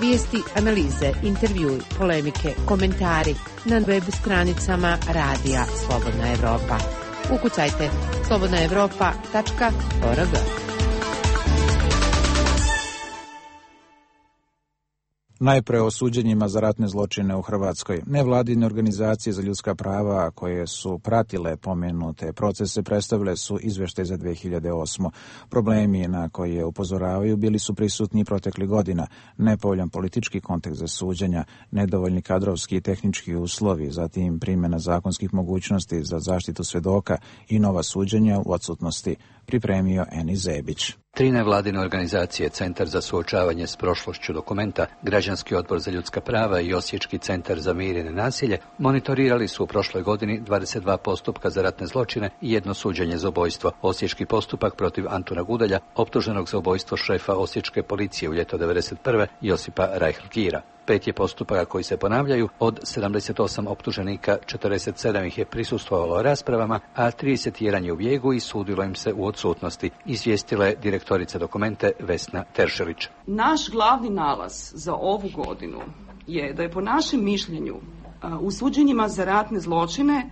Vijesti, analize, intervjui, polemike, komentari na web stranicama Radija Slobodna Evropa. Ukucajte slobodnaevropa.org. Najpre o suđenjima za ratne zločine u Hrvatskoj. Nevladine organizacije za ljudska prava koje su pratile pomenute procese predstavile su izvještaj za 2008. Problemi na koje upozoravaju bili su prisutni proteklih godina. Nepovoljan politički kontekst za suđenja, nedovoljni kadrovski i tehnički uslovi, zatim primjena zakonskih mogućnosti za zaštitu svedoka i nova suđenja u odsutnosti. Pripremio Eni Zebić. 3 nevladine organizacije, Centar za suočavanje s prošlošću Dokumenta, Građanski odbor za ljudska prava i Osječki centar za mir i nenasilje monitorirali su u prošloj godini 22 postupka za ratne zločine i 1 suđenje za ubojstvo. Osječki postupak protiv Antuna Gudelja, optuženog za ubojstvo šefa Osječke policije u ljeto 1991. Josipa Reihl-Gira. 5 je postupaka koji se ponavljaju, od 78 optuženika 47 ih je prisustvovalo raspravama, a 31 je u bijegu i sudilo im se u odsutnosti, izvijestila je direktorica Dokumente Vesna Teršelić. Naš glavni nalaz za ovu godinu je da je po našem mišljenju u suđenjima za ratne zločine,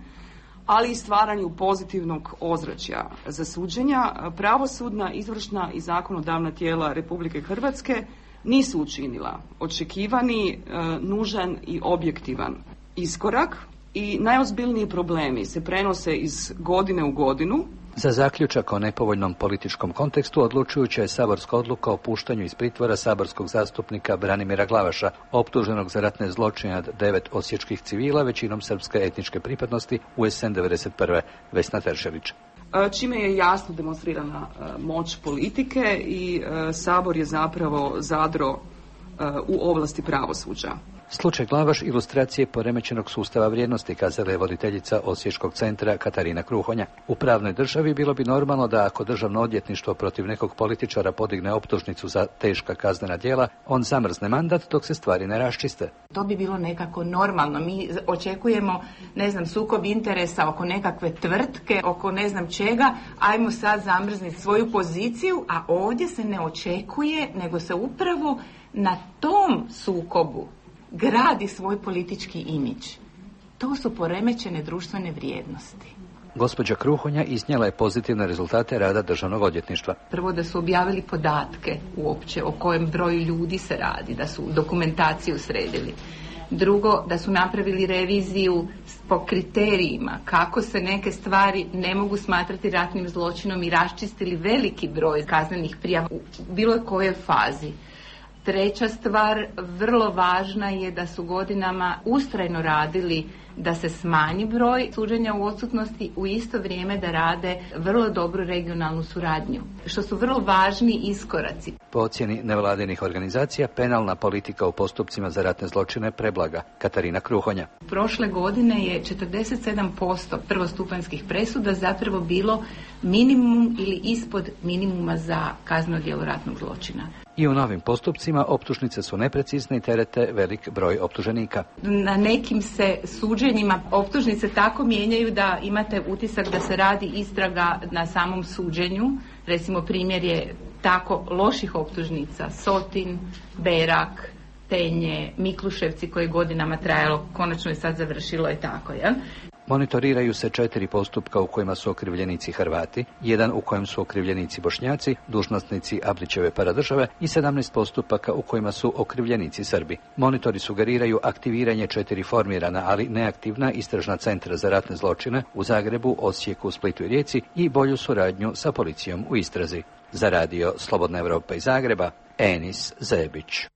ali i stvaranju pozitivnog ozračja za suđenja, pravosudna, izvršna i zakonodavna tijela Republike Hrvatske nisu učinila očekivani, nužan i objektivan iskorak i najozbiljniji problemi se prenose iz godine u godinu. Za zaključak o nepovoljnom političkom kontekstu odlučujuća je saborska odluka o puštanju iz pritvora saborskog zastupnika Branimira Glavaša, optuženog za ratne zločine nad 9 osječkih civila, većinom srpske etničke pripadnosti u jesen 1991. Vesna Teršelić. Čime je jasno demonstrirana moć politike i Sabor je zapravo zadro u ovlasti pravosuđa. Slučaj Glavaš ilustracije poremećenog sustava vrijednosti, kazala je voditeljica Osječkog centra Katarina Kruhonja. U pravnoj državi bilo bi normalno da ako državno odvjetništvo protiv nekog političara podigne optužnicu za teška kaznena djela, on zamrzne mandat dok se stvari ne raščiste. To bi bilo nekako normalno. Mi očekujemo, sukob interesa oko nekakve tvrtke, oko ne znam čega, ajmo sad zamrzniti svoju poziciju, a ovdje se ne očekuje, nego se upravo na tom sukobu gradi svoj politički imidž. To su poremećene društvene vrijednosti. Gospođa Kruhonja iznijela je pozitivne rezultate rada državnog odvjetništva. Prvo da su objavili podatke uopće o kojem broju ljudi se radi, da su dokumentaciju sredili. Drugo, da su napravili reviziju po kriterijima kako se neke stvari ne mogu smatrati ratnim zločinom i raščistili veliki broj kaznenih prijava u bilo kojoj fazi. Treća stvar, vrlo važna je da su godinama ustrajno radili da se smanji broj suđenja u odsutnosti, u isto vrijeme da rade vrlo dobru regionalnu suradnju, što su vrlo važni iskoraci. Po ocjeni nevladinih organizacija, penalna politika u postupcima za ratne zločine preblaga. Katarina Kruhonja. Prošle godine je 47% prvostupanjskih presuda zapravo bilo minimum ili ispod minimuma za kazneno djelo ratnog zločina. I u novim postupcima optužnice su neprecizne i terete velik broj optuženika. Na nekim se suđenjima optužnice tako mijenjaju da imate utisak da se radi istraga na samom suđenju. Recimo primjer je tako loših optužnica: Sotin, Berak, Tenje, Mikluševci, koje godinama trajalo, konačno je sad završilo i tako, jel? Monitoriraju se 4 postupka u kojima su okrivljenici Hrvati, 1 u kojem su okrivljenici Bošnjaci, dužnosnici Abrićeve paradržave i 17 postupaka u kojima su okrivljenici Srbi. Monitori sugeriraju aktiviranje 4 formirana, ali neaktivna istražna centra za ratne zločine u Zagrebu, Osijeku, Splitu i Rijeci i bolju suradnju sa policijom u istrazi. Za radio Slobodna Evropa iz Zagreba, Enis Zebić.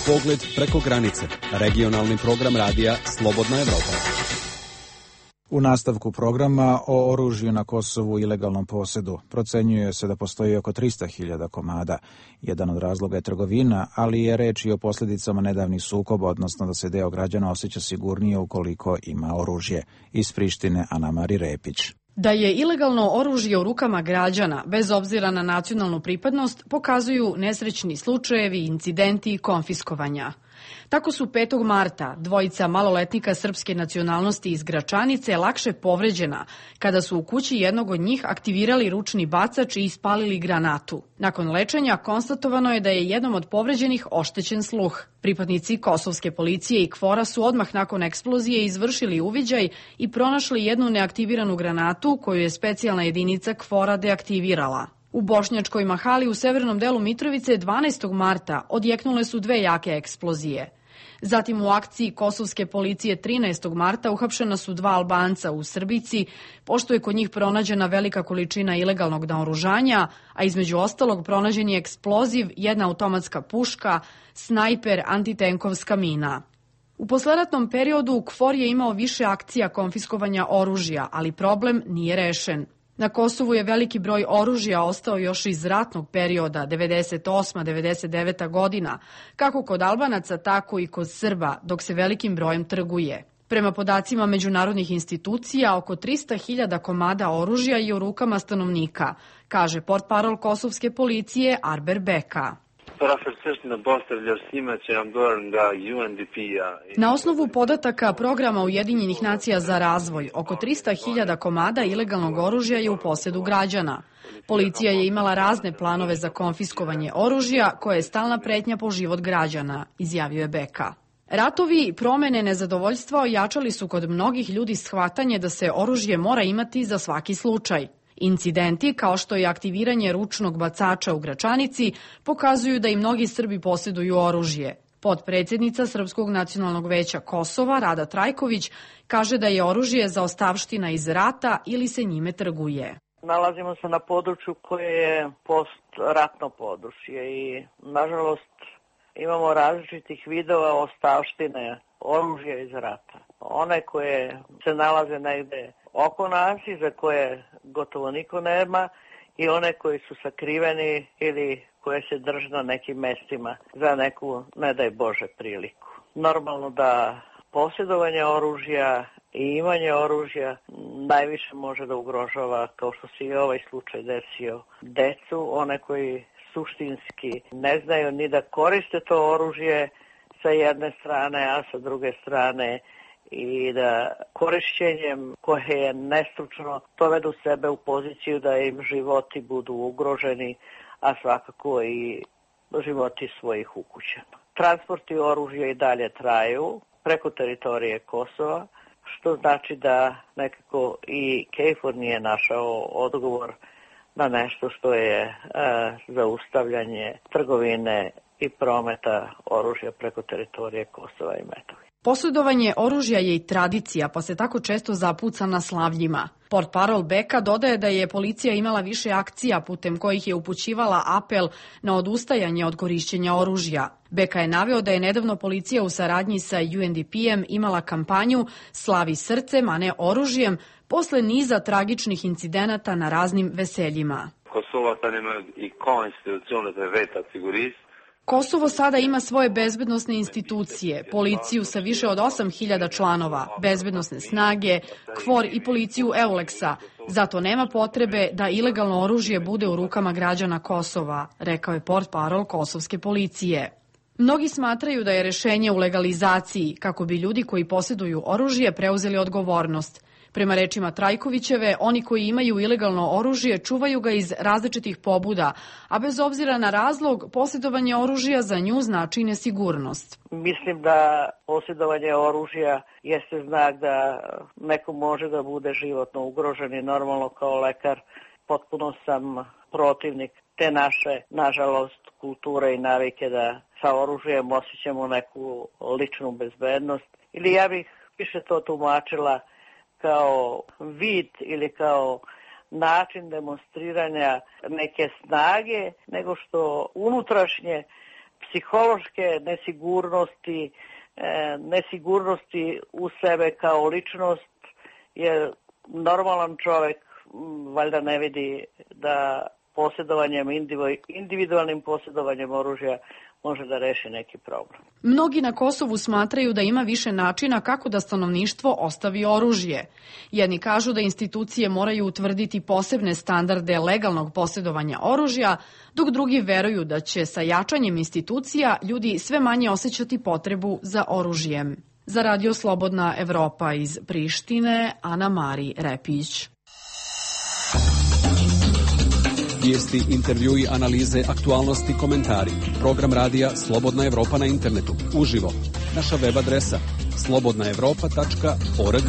Pogled preko granice. Regionalni program radija Slobodna Evropa. U nastavku programa o oružju na Kosovu i ilegalnom posjedu procenjuje se da postoji oko 300.000 komada. Jedan od razloga je trgovina, ali je reč i o posljedicama nedavnih sukoba, odnosno da se deo građana osjeća sigurnije ukoliko ima oružje. Iz Prištine Ana-Mari Repić. Da je ilegalno oružje u rukama građana, bez obzira na nacionalnu pripadnost, pokazuju nesrećni slučajevi, incidenti i konfiskovanja. Tako su 5. marta dvojica maloletnika srpske nacionalnosti iz Gračanice lakše povređena kada su u kući jednog od njih aktivirali ručni bacač i ispalili granatu. Nakon lečenja konstatovano je da je jednom od povređenih oštećen sluh. Pripadnici kosovske policije i KFOR-a su odmah nakon eksplozije izvršili uviđaj i pronašli jednu neaktiviranu granatu koju je specijalna jedinica KFOR-a deaktivirala. U Bošnjačkoj Mahali u severnom delu Mitrovice 12. marta odjeknule su 2 jake eksplozije. Zatim u akciji kosovske policije 13. marta uhapšena su 2 Albanca u Srbici, pošto je kod njih pronađena velika količina ilegalnog naoružanja, a između ostalog pronađen je eksploziv, jedna automatska puška, snajper, antitenkovska mina. U posleratnom periodu KFOR je imao više akcija konfiskovanja oružja, ali problem nije rešen. Na Kosovu je veliki broj oružja ostao još iz ratnog perioda 98-99 godina, kako kod Albanaca, tako i kod Srba, dok se velikim brojem trguje. Prema podacima međunarodnih institucija, oko 300.000 komada oružja je u rukama stanovnika, kaže portparol kosovske policije Arber Beka. Na osnovu podataka programa Ujedinjenih nacija za razvoj, oko 300.000 komada ilegalnog oružja je u posjedu građana. Policija je imala razne planove za konfiskovanje oružja, koje je stalna pretnja po život građana, izjavio je Beka. Ratovi, promene, nezadovoljstva ojačali su kod mnogih ljudi shvatanje da se oružje mora imati za svaki slučaj. Incidenti, kao što je aktiviranje ručnog bacača u Gračanici, pokazuju da i mnogi Srbi posjeduju oružje. Potpredsjednica Srpskog nacionalnog veća Kosova, Rada Trajković, kaže da je oružje zaostavština iz rata ili se njime trguje. Nalazimo se na području koje je postratno područje i, nažalost, imamo različitih vidova ostavštine oružja iz rata. One koje se nalaze negde oko nas i za koje gotovo niko nema i one koji su sakriveni ili koje se drže na nekim mestima za neku, ne daj Bože, priliku. Normalno da posjedovanje oružja i imanje oružja najviše može da ugrožava, kao što se i ovaj slučaj desio, decu, one koji suštinski ne znaju ni da koriste to oružje sa jedne strane, a sa druge strane i da korišćenjem koje je nestručno dovedu sebe u poziciju da im životi budu ugroženi, a svakako i životi svojih ukućana. Transporti oružja i dalje traju preko teritorije Kosova, što znači da nekako i KFOR nije našao odgovor na nešto što je zaustavljanje trgovine i prometa oružja preko teritorije Kosova i Metohije. Posjedovanje oružja je i tradicija, pa se tako često zapuca na slavljima. Portparol Beka dodaje da je policija imala više akcija putem kojih je upućivala apel na odustajanje od korišćenja oružja. Beka je naveo da je nedavno policija u saradnji sa UNDP-em imala kampanju Slavi srcem, a ne oružjem, posle niza tragičnih incidenata na raznim veseljima. Kosovo sada ima svoje bezbednosne institucije, policiju sa više od 8.000 članova, bezbednosne snage, KFOR i policiju EULEX-a. Zato nema potrebe da ilegalno oružje bude u rukama građana Kosova, rekao je portparol kosovske policije. Mnogi smatraju da je rešenje u legalizaciji, kako bi ljudi koji posjeduju oružje preuzeli odgovornost. Prema rečima Trajkovićeve, oni koji imaju ilegalno oružje čuvaju ga iz različitih pobuda, a bez obzira na razlog, posjedovanje oružja za nju znači nesigurnost. Mislim da posjedovanje oružja jeste znak da neko može da bude životno ugrožen i normalno kao lekar potpuno sam protivnik te naše, nažalost, kulture i navike da sa oružjem osjećamo neku ličnu bezbednost. Ili ja bih više to tumačila kao vid ili kao način demonstriranja neke snage, nego što unutrašnje psihološke nesigurnosti u sebe kao ličnost, jer normalan čovjek valjda ne vidi da individualnim posjedovanjem oružja može da reši neki problem. Mnogi na Kosovu smatraju da ima više načina kako da stanovništvo ostavi oružje. Jedni kažu da institucije moraju utvrditi posebne standarde legalnog posjedovanja oružja, dok drugi veruju da će sa jačanjem institucija ljudi sve manje osjećati potrebu za oružjem. Za Radio Slobodna Evropa iz Prištine, Ana Mari Repić. Vijesti, intervjui, analize, aktualnosti, komentari. Program radija Slobodna Evropa na internetu. Uživo. Naša web adresa slobodnaevropa.org.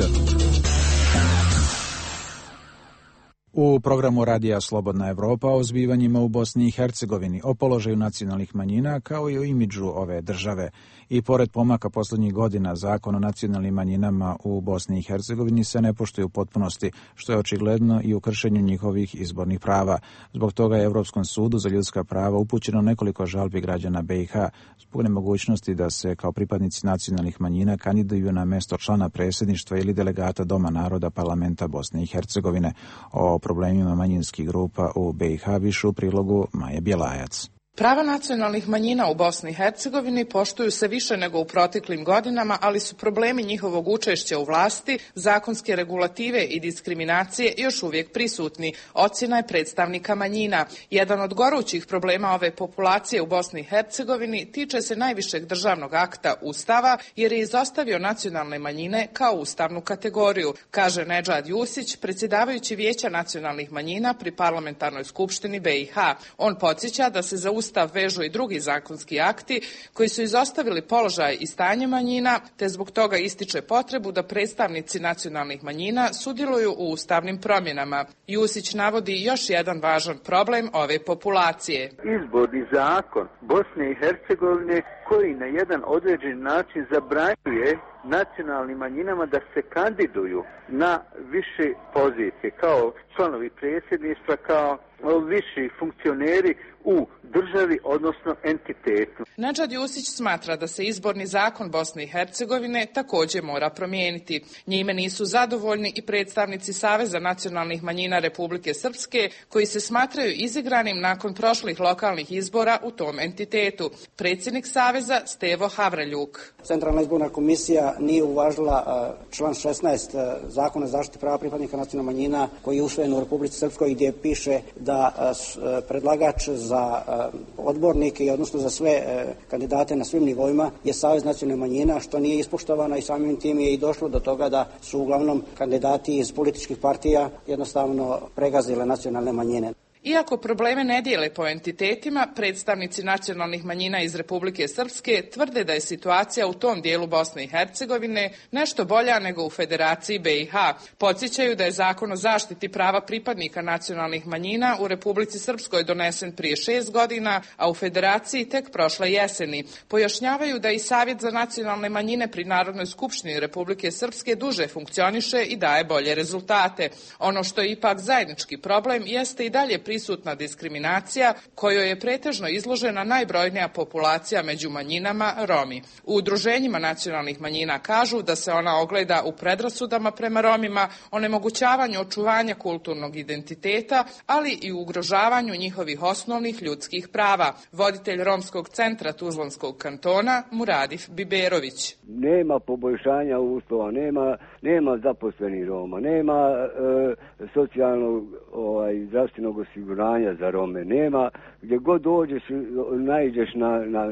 U programu radija Slobodna Evropa o zbivanjima u Bosni i Hercegovini, o položaju nacionalnih manjina kao i o imidžu ove države. I pored pomaka posljednjih godina, zakon o nacionalnim manjinama u Bosni i Hercegovini se ne poštuje u potpunosti, što je očigledno i u kršenju njihovih izbornih prava. Zbog toga je Europskom sudu za ljudska prava upućeno nekoliko žalbi građana BiH zbog nemogućnosti da se kao pripadnici nacionalnih manjina kandiduju na mesto člana predsjedništva ili delegata Doma naroda Parlamenta Bosne i Hercegovine. O problemima manjinskih grupa u BiH više u prilogu Maje Bjelajac. Prava nacionalnih manjina u Bosni i Hercegovini poštuju se više nego u proteklim godinama, ali su problemi njihovog učešća u vlasti, zakonske regulative i diskriminacije još uvijek prisutni, ocjena je predstavnika manjina. Jedan od gorućih problema ove populacije u Bosni i Hercegovini tiče se najvišeg državnog akta Ustava, jer je izostavio nacionalne manjine kao ustavnu kategoriju, kaže Nedžad Jusić, predsjedavajući Vijeća nacionalnih manjina pri Parlamentarnoj skupštini BiH. On podsjeća da se za Ustav vežu i drugi zakonski akti koji su izostavili položaj i stanje manjina, te zbog toga ističe potrebu da predstavnici nacionalnih manjina sudjeluju u ustavnim promjenama. Jusić navodi još jedan važan problem ove populacije. Izborni zakon Bosne i Hercegovine koji na jedan određen način zabranjuje nacionalnim manjinama da se kandiduju na više pozicije kao članovi predsjedništva, kao viši funkcioneri u državi, odnosno entitetu. Nedžad Jusić smatra da se izborni zakon Bosne i Hercegovine također mora promijeniti. Njime nisu zadovoljni i predstavnici Saveza nacionalnih manjina Republike Srpske, koji se smatraju izigranim nakon prošlih lokalnih izbora u tom entitetu. Predsjednik Saveza Stevo Havraljuk. Centralna izborna komisija nije uvažila član 16 Zakona o zaštiti prava pripadnika nacionalnih manjina koji je usvojen u Republici Srpskoj, gdje piše da predlagač za odbornike i odnosno za sve kandidate na svim nivoima je Savez nacionalnih manjina, što nije ispoštovano i samim tim je i došlo do toga da su uglavnom kandidati iz političkih partija jednostavno pregazile nacionalne manjine. Iako probleme ne dijele po entitetima, predstavnici nacionalnih manjina iz Republike Srpske tvrde da je situacija u tom dijelu Bosne i Hercegovine nešto bolja nego u Federaciji BiH. Podsjećaju da je Zakon o zaštiti prava pripadnika nacionalnih manjina u Republici Srpskoj donesen prije 6 godina, a u Federaciji tek prošle jeseni. Pojašnjavaju da i Savjet za nacionalne manjine pri Narodnoj skupštini Republike Srpske duže funkcioniše i daje bolje rezultate. Ono što je ipak zajednički problem jeste i dalje prisutna diskriminacija kojoj je pretežno izložena najbrojnija populacija među manjinama, Romi. U udruženjima nacionalnih manjina kažu da se ona ogleda u predrasudama prema Romima, onemogućavanju očuvanja kulturnog identiteta, ali i u ugrožavanju njihovih osnovnih ljudskih prava. Voditelj Romskog centra Tuzlanskog kantona Muradif Biberović. Nema poboljšanja uslova, nema zaposlenih Roma, nema socijalnog zdravstvenog osiguranja za Rome, nema, gdje god dođeš, naiđeš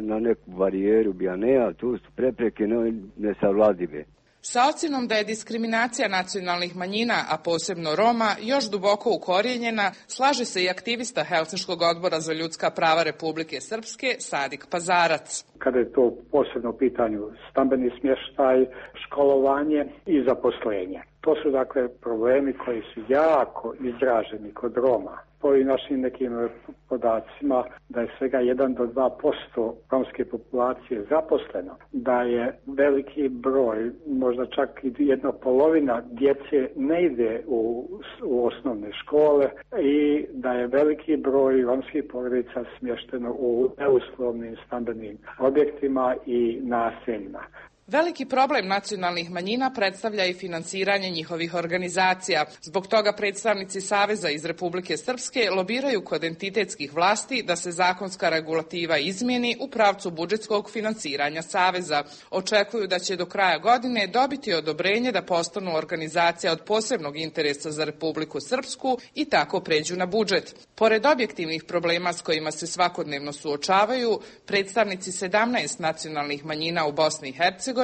na neku barijeru, tu su prepreke nesavladive. Sa ocjenom da je diskriminacija nacionalnih manjina, a posebno Roma, još duboko ukorijenjena, slaže se i aktivista Helsinškog odbora za ljudska prava Republike Srpske Sadik Pazarac. Kada je to posebno u pitanju stambeni smještaj, školovanje i zaposlenje. To su dakle problemi koji su jako izraženi kod Roma. Po našim nekim podacima da je svega 1 do 2% romske populacije zaposleno, da je veliki broj, možda čak i 1/2 djece ne ide u osnovne škole i da je veliki broj romskih porodica smješteno u neuslovnim stambenim objektima i naseljima. Veliki problem nacionalnih manjina predstavlja i finansiranje njihovih organizacija. Zbog toga predstavnici Saveza iz Republike Srpske lobiraju kod entitetskih vlasti da se zakonska regulativa izmijeni u pravcu budžetskog finansiranja Saveza. Očekuju da će do kraja godine dobiti odobrenje da postanu organizacija od posebnog interesa za Republiku Srpsku i tako pređu na budžet. Pored objektivnih problema s kojima se svakodnevno suočavaju, predstavnici 17 nacionalnih manjina u Bosni i Hercegovini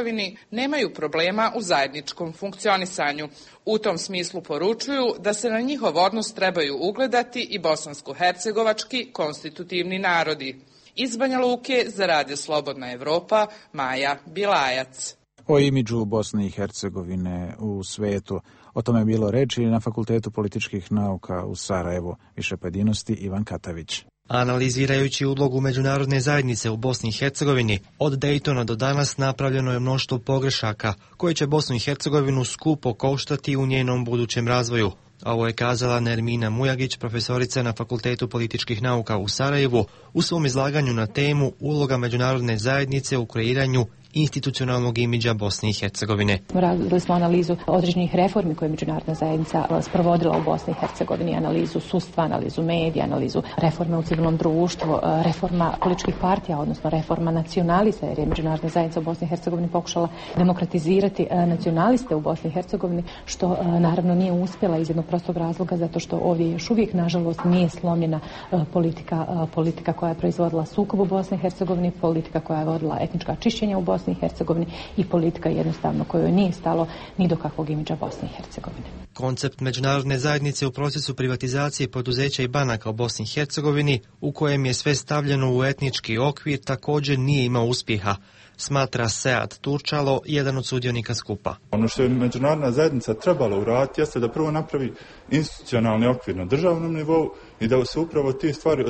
nemaju problema u zajedničkom funkcionisanju. U tom smislu poručuju da se na njihov odnos trebaju ugledati i bosansko-hercegovački konstitutivni narodi. Iz Banja Luke za Radio Slobodna Evropa, Maja Bilajac. O imidžu Bosne i Hercegovine u svetu. O tome je bilo reči na Fakultetu političkih nauka u Sarajevu. Više pojedinosti Ivan Katavić. Analizirajući ulogu međunarodne zajednice u Bosni i Hercegovini, od Dejtona do danas napravljeno je mnoštvo pogrešaka koje će Bosnu i Hercegovinu skupo koštati u njenom budućem razvoju. Ovo je kazala Nermina Mujagić, profesorica na Fakultetu političkih nauka u Sarajevu, u svom izlaganju na temu uloga međunarodne zajednice u kreiranju institucionalnog imidža Bosne i Hercegovine. Radili smo analizu određenih reformi koje je međunarodna zajednica sprovodila u Bosni i Hercegovini, analizu sudstva, analizu medija, analizu reforme u civilnom društvu, reforma političkih partija, odnosno reforma nacionalista, jer je međunarodna zajednica u Bosni i Hercegovini pokušala demokratizirati nacionaliste u Bosni i Hercegovini, što naravno nije uspjela iz jednog prostog razloga, zato što ovdje još uvijek, nažalost, nije slomljena politika koja je proizvodila sukob u Bosni i Hercegovini, politika koja je vodila etnička čišćenja u Bosni i Hercegovini i politika jednostavno kojoj nije stalo ni do kakvog imidža Bosne i Hercegovine. Koncept međunarodne zajednice u procesu privatizacije poduzeća i banaka u Bosni i Hercegovini, u kojem je sve stavljeno u etnički okvir, također nije imao uspjeha, smatra Sead Turčalo, jedan od sudionika skupa. Ono što je međunarodna zajednica trebala uraditi jeste da prvo napravi institucionalni okvir na državnom nivou i da se upravo te stvari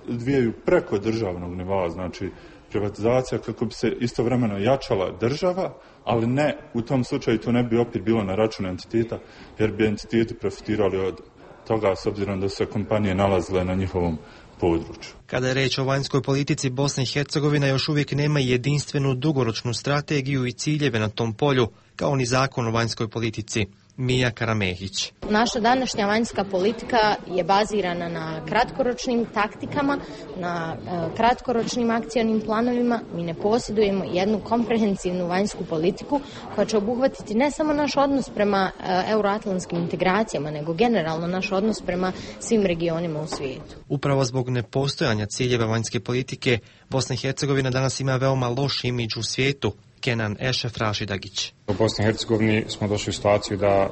odvijaju preko državnog nivoa, znači privatizacija kako bi se istovremeno jačala država, ali ne, u tom slučaju to ne bi opet bilo na račun entiteta, jer bi entiteti profitirali od toga s obzirom da su se kompanije nalazile na njihovom području. Kada je reč o vanjskoj politici, Bosna i Hercegovina još uvijek nema jedinstvenu dugoročnu strategiju i ciljeve na tom polju, kao ni zakon o vanjskoj politici. Mija Karamehić. Naša današnja vanjska politika je bazirana na kratkoročnim taktikama, na kratkoročnim akcionim planovima. Mi ne posjedujemo jednu komprehensivnu vanjsku politiku koja će obuhvatiti ne samo naš odnos prema euroatlantskim integracijama, nego generalno naš odnos prema svim regionima u svijetu. Upravo zbog nepostojanja ciljeva vanjske politike, Bosna i Hercegovina danas ima veoma loš imidž u svijetu. Kenan Ešef Rašidagić. U Bosni i Hercegovini smo došli u situaciju da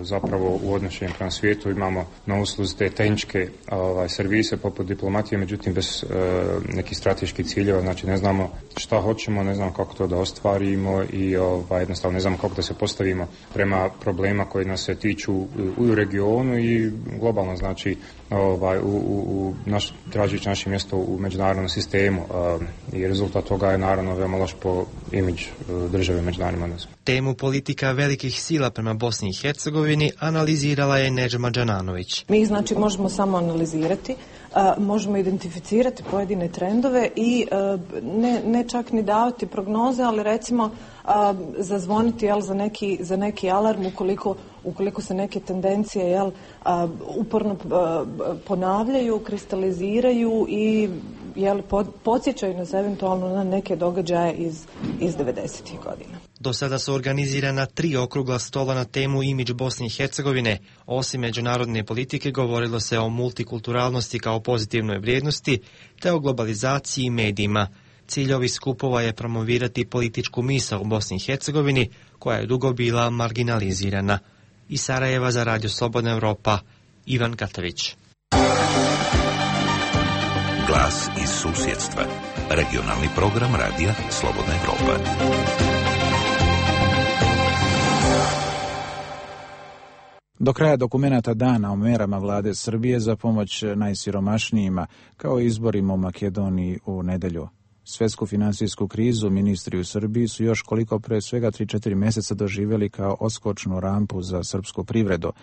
zapravo u odnošenju prema svijetu imamo na usluzi te tehničke servise poput diplomatije, međutim bez nekih strateških ciljeva, znači ne znamo šta hoćemo, ne znamo kako to da ostvarimo i jednostavno ne znamo kako da se postavimo prema problema koji nas se tiču u regionu i globalno, znači tražući naše mjesto u međunarodnom sistemu i rezultat toga je naravno veoma loš po imidž države međunarodnim odnosima. Temu politika velikih sila prema Bosni i Hercegovini analizirala je Nedžma Đananović. Mi ih znači možemo samo analizirati, možemo identificirati pojedine trendove i ne čak ni davati prognoze, ali recimo zazvoniti za neki alarm ukoliko se neke tendencije uporno ponavljaju, kristaliziraju i podsjećaju nas eventualno na neke događaje iz 90-ih godina. Do sada su organizirana 3 okrugla stola na temu imidž Bosne i Hercegovine. Osim međunarodne politike govorilo se o multikulturalnosti kao pozitivnoj vrijednosti te o globalizaciji i medijima. Cilj ovih skupova je promovirati političku misao u Bosni i Hercegovini koja je dugo bila marginalizirana. Iz Sarajeva za Radio Slobodna Evropa, Ivan Katavić. Glas iz susjedstva. Regionalni program Radija Slobodna Evropa. Do kraja dokumenata dana o merama vlade Srbije za pomoć najsiromašnijima, kao i izborima u Makedoniji u nedelju. Svjetsku financijsku krizu ministri u Srbiji su još koliko pre svega 3-4 mjeseca doživjeli kao odskočnu rampu za srpsku privredu.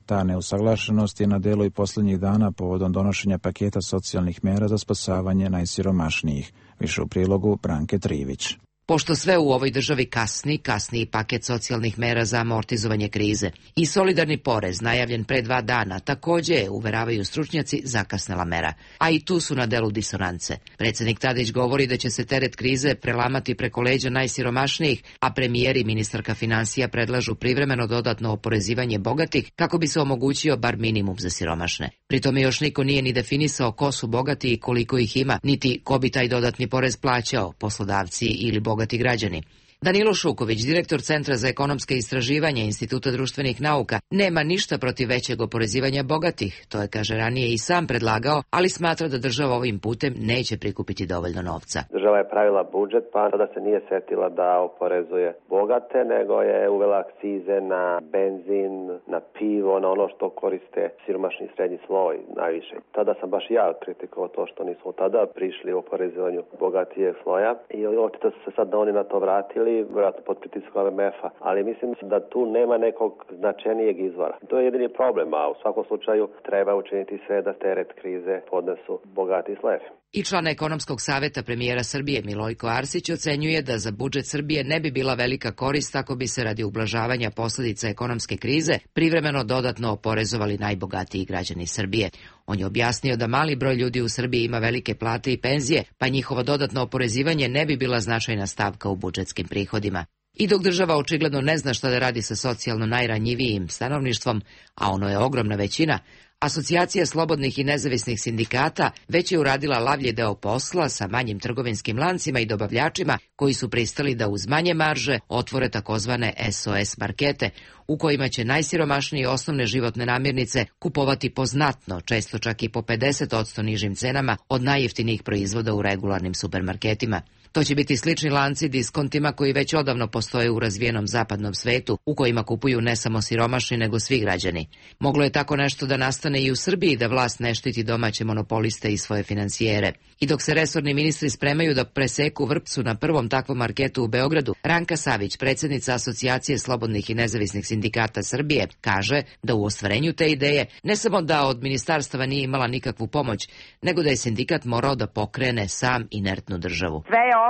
Ta neusaglašenost je na delu i posljednjih dana povodom donošenja paketa socijalnih mera za spasavanje najsiromašnijih. Više u prilogu Branke Trivić. Pošto sve u ovoj državi kasni i paket socijalnih mera za amortizovanje krize. I solidarni porez, najavljen pre 2 dana, također je, uveravaju stručnjaci, zakasnela mera. A i tu su na delu disonance. Predsjednik Tadić govori da će se teret krize prelamati preko leđa najsiromašnijih, a premijer i ministarka financija predlažu privremeno dodatno oporezivanje bogatih kako bi se omogućio bar minimum za siromašne. Pri tome još niko nije ni definisao ko su bogati i koliko ih ima, niti ko bi taj dodatni porez plaćao, poslodavci ili bogati građani. Danilo Šuković, direktor Centra za ekonomske istraživanja Instituta društvenih nauka, nema ništa protiv većeg oporezivanja bogatih. To je, kaže, ranije i sam predlagao, ali smatra da država ovim putem neće prikupiti dovoljno novca. Država je pravila budžet, pa da se nije setila da oporezuje bogate, nego je uvela akcize na benzin, na pivo, na ono što koriste siromašni srednji sloj najviše. Tada sam baš ja kritikovao to što nismo tada prišli u oporezivanju bogatijeg sloja i očito su se sad oni na to vratili, vjerojatno pod pritiskom MMF-a, ali mislim da tu nema nekog značajnijeg izvora. To je jedini problem, a u svakom slučaju treba učiniti sve da teret krize podnesu bogati slojevi. I član ekonomskog savjeta premijera Srbije Milojko Arsić ocenjuje da za budžet Srbije ne bi bila velika korist ako bi se radi ublažavanja posljedica ekonomske krize privremeno dodatno oporezovali najbogatiji građani Srbije. On je objasnio da mali broj ljudi u Srbiji ima velike plate i penzije, pa njihovo dodatno oporezivanje ne bi bila značajna stavka u budžetskim prihodima. I dok država očigledno ne zna šta da radi sa socijalno najranjivijim stanovništvom, a ono je ogromna većina, Asocijacija slobodnih i nezavisnih sindikata već je uradila lavlji deo posla sa manjim trgovinskim lancima i dobavljačima koji su pristali da uz manje marže otvore takozvane SOS markete, u kojima će najsiromašniji osnovne životne namirnice kupovati po znatno, često čak i po 50% nižim cenama od najjeftinijih proizvoda u regularnim supermarketima. To će biti slični lanci diskontima koji već odavno postoje u razvijenom zapadnom svetu, u kojima kupuju ne samo siromašni, nego svi građani. Moglo je tako nešto da nastane i u Srbiji, da vlast ne štiti domaće monopoliste i svoje financijere. I dok se resorni ministri spremaju da preseku vrpcu na prvom takvom marketu u Beogradu, Ranka Savić, predsjednica Asocijacije slobodnih i nezavisnih sindikata Srbije, kaže da u ostvarenju te ideje ne samo da od ministarstava nije imala nikakvu pomoć, nego da je sindikat morao da pokrene sam inertnu državu. Sve je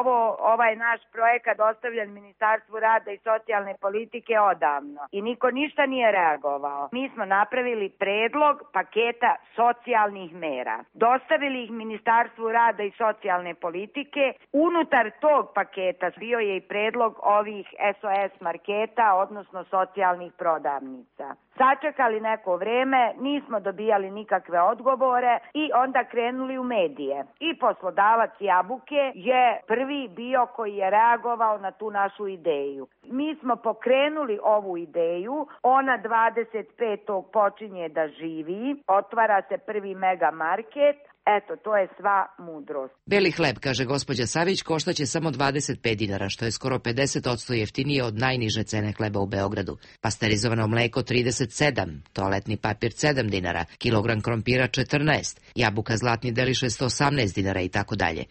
ovaj naš projekat ostavljen Ministarstvu rada i socijalne politike odavno i niko ništa nije reagovao. Mi smo napravili predlog paketa socijalnih mera. Dostavili ih Ministarstvu rada i socijalne politike. Unutar tog paketa bio je i predlog ovih SOS marketa, odnosno socijalnih prodavnica. Sačekali neko vreme, nismo dobijali nikakve odgovore i onda krenuli u medije. I poslodavac Jabuke je prvi bio koji je reagovao na tu našu ideju. Mi smo pokrenuli ovu ideju, ona 25. počinje da živi, otvara se prvi mega market. Eto, to je sva mudrost. Beli hleb, kaže gospođa Savić, koštaće samo 25 dinara, što je skoro 50% jeftinije od najniže cene hleba u Beogradu. Pasterizovano mleko 37, toaletni papir 7 dinara, kilogram krompira 14, jabuka Zlatni Deliše 118 dinara i tako dalje.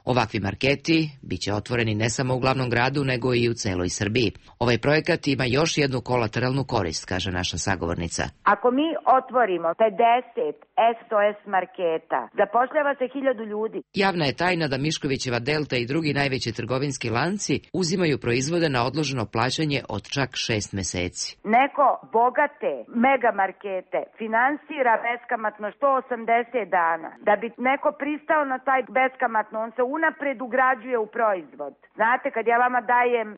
Ovakvi marketi biće otvoreni ne samo u glavnom gradu, nego i u celoj Srbiji. Ovaj projekat ima još jednu kolateralnu korist, kaže naša sagovornica. Ako mi otvorimo 50 SOS marketa, zapošljava se 1000 ljudi. Javna je tajna da Miškovićeva Delta i drugi najveći trgovinski lanci uzimaju proizvode na odloženo plaćanje od čak 6 meseci. Neko bogate mega markete finansira beskamatno 180 dana. Da bi neko pristao na taj beskamatno, on se unapred ugrađuje u proizvod. Znate, kad ja vama dajem,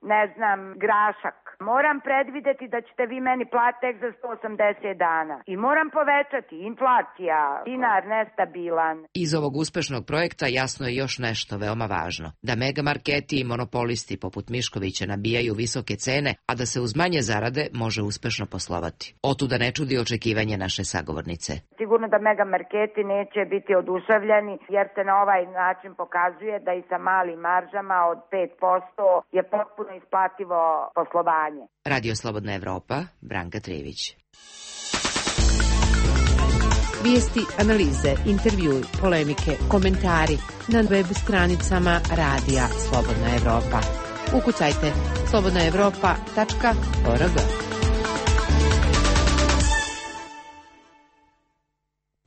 grašak, moram predvideti da ćete vi meni platiti za 180 dana. I moram povećati inflacija, dinar nestabilan. Iz ovog uspešnog projekta jasno je još nešto veoma važno. Da megamarketi i monopolisti poput Miškovića nabijaju visoke cene, a da se uz manje zarade može uspešno poslovati. Otuda ne čudi očekivanje naše sagovornice. Sigurno da megamarketi neće biti oduševljeni, jer se na ovaj način pokazuje da i sa malim maržama od 5% je potpuno isplativo poslovanje. Radio Slobodna Evropa, Branka Trivić. Vijesti, analize, intervjui, polemike, komentari na web stranicama Radija Slobodna Evropa. Ukucajte slobodnaevropa.org.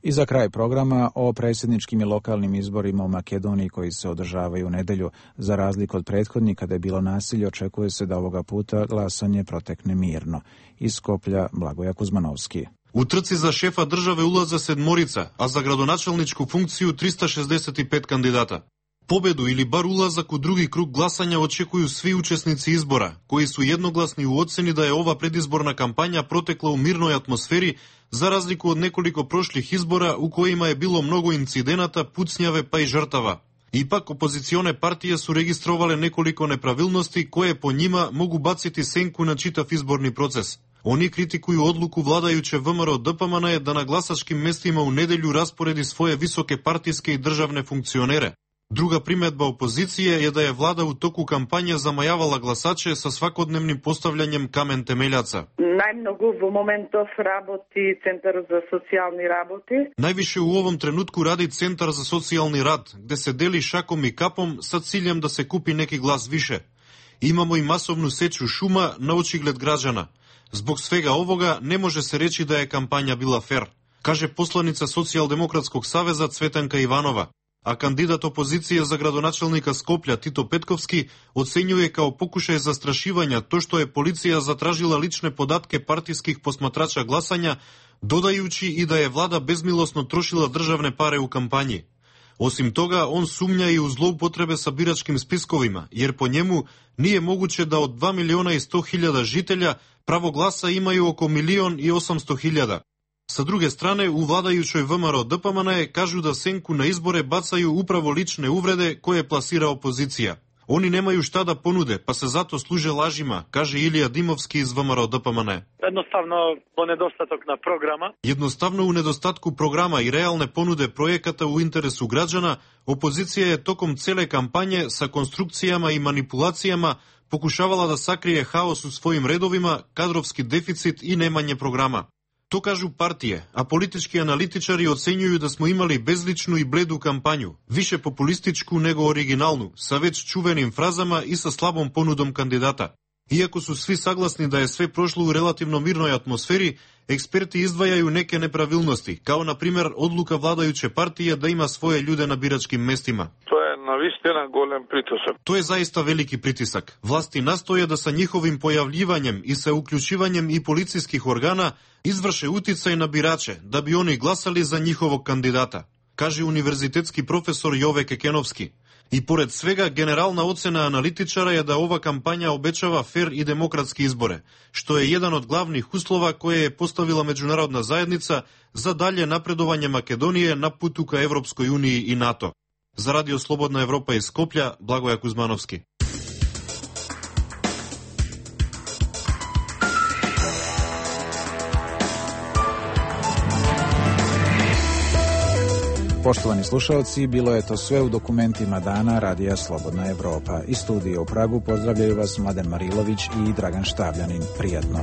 I za kraj programa o predsjedničkim i lokalnim izborima u Makedoniji koji se održavaju u nedelju. Za razliku od prethodnih kada je bilo nasilje, očekuje se da ovoga puta glasanje protekne mirno. Iz Skoplja Blagoja Kuzmanovski. U trci za šefa države ulaze 7, a za gradonačelničku funkciju 365 kandidata. Pobedu ili bar ulazak u drugi krug glasanja očekuju svi učesnici izbora, koji su jednoglasni u oceni da je ova predizborna kampanja protekla u mirnoj atmosferi, za razliku od nekoliko prošlih izbora u kojima je bilo mnogo incidenata, pucnjave pa i žrtava. Ipak, opozicione partije su registrovale nekoliko nepravilnosti koje po njima mogu baciti senku na čitav izborni proces. Oni kritikuju odluku vladajuće VMRO DPMNE da na glasačkim mestima u nedelju rasporedi svoje visoke partijske i državne funkcionere. Druga primedba opozicije je da je vlada u toku kampanje zamajavala glasače sa svakodnevnim postavljanjem kamen temeljaca. Najmnogo v momentov raboti Centar za socijalni raboti. Najviše u ovom trenutku radi Centar za socijalni rad, gde se deli šakom i kapom sa ciljem da se kupi neki glas više. Imamo i masovnu seču šuma na očigled građana. Zbog svega ovoga ne može se reći da je kampanja bila fer, kaže poslanica Socijaldemokratskog saveza Cvetanka Ivanova. A kandidat opozicije za gradonačelnika Skoplja Tito Petkovski ocenjuje kao pokušaj zastrašivanja to što je policija zatražila lične podatke partijskih posmatrača glasanja, dodajući i da je vlada bezmilosno trošila državne pare u kampanji. Osim toga, on sumnja i u zloupotrebe sa biračkim spiskovima, jer po njemu nije moguće da od 2.100.000 žitelja pravo glasa imaju oko 1.800.000. Sa druge strane, u vladajućoj VMRO DPMNE kažu da senku na izbore bacaju upravo lične uvrede koje plasira opozicija. Oni nemaju šta da ponude, pa se zato služe lažima, kaže Ilija Dimovski iz VMRO DPMN. Jednostavno po nedostatok na programa. Jednostavno u nedostatku programa i realne ponude projekata u interesu građana, opozicija je tokom cele kampanje sa konstrukcijama i manipulacijama pokušavala da sakrije haos u svojim redovima, kadrovski deficit i nemanje programa. To kažu partije, a politički analitičari ocenjuju da smo imali bezličnu i bledu kampanju, više populističku nego originalnu, sa već čuvenim frazama i sa slabom ponudom kandidata. Iako su svi saglasni da je sve prošlo u relativno mirnoj atmosferi, eksperti izdvajaju neke nepravilnosti, kao na primjer odluka vladajuće partije da ima svoje ljude na biračkim mestima. To je navistina golem pritisak. To je zaista veliki pritisak. Vlasti nastoje da sa njihovim pojavljivanjem i sa uključivanjem i policijskih organa izvrše uticaj na birače, da bi oni glasali za njihovog kandidata, kaže univerzitetski profesor Jove Kekenovski. I pored svega, generalna ocena analitičara je da ova kampanja obećava fer i demokratski izbore, što je jedan od glavnih uslova koje je postavila međunarodna zajednica za dalje napredovanje Makedonije na putu ka Evropskoj uniji i NATO. Za Radio Slobodna Evropa iz Skoplja, Blagoja Kuzmanovski. Poštovani slušalci, bilo je to sve u dokumentima dana Radija Slobodna Evropa. Iz studija u Pragu pozdravljaju vas Mladen Marilović i Dragan Štavljanin. Prijatno.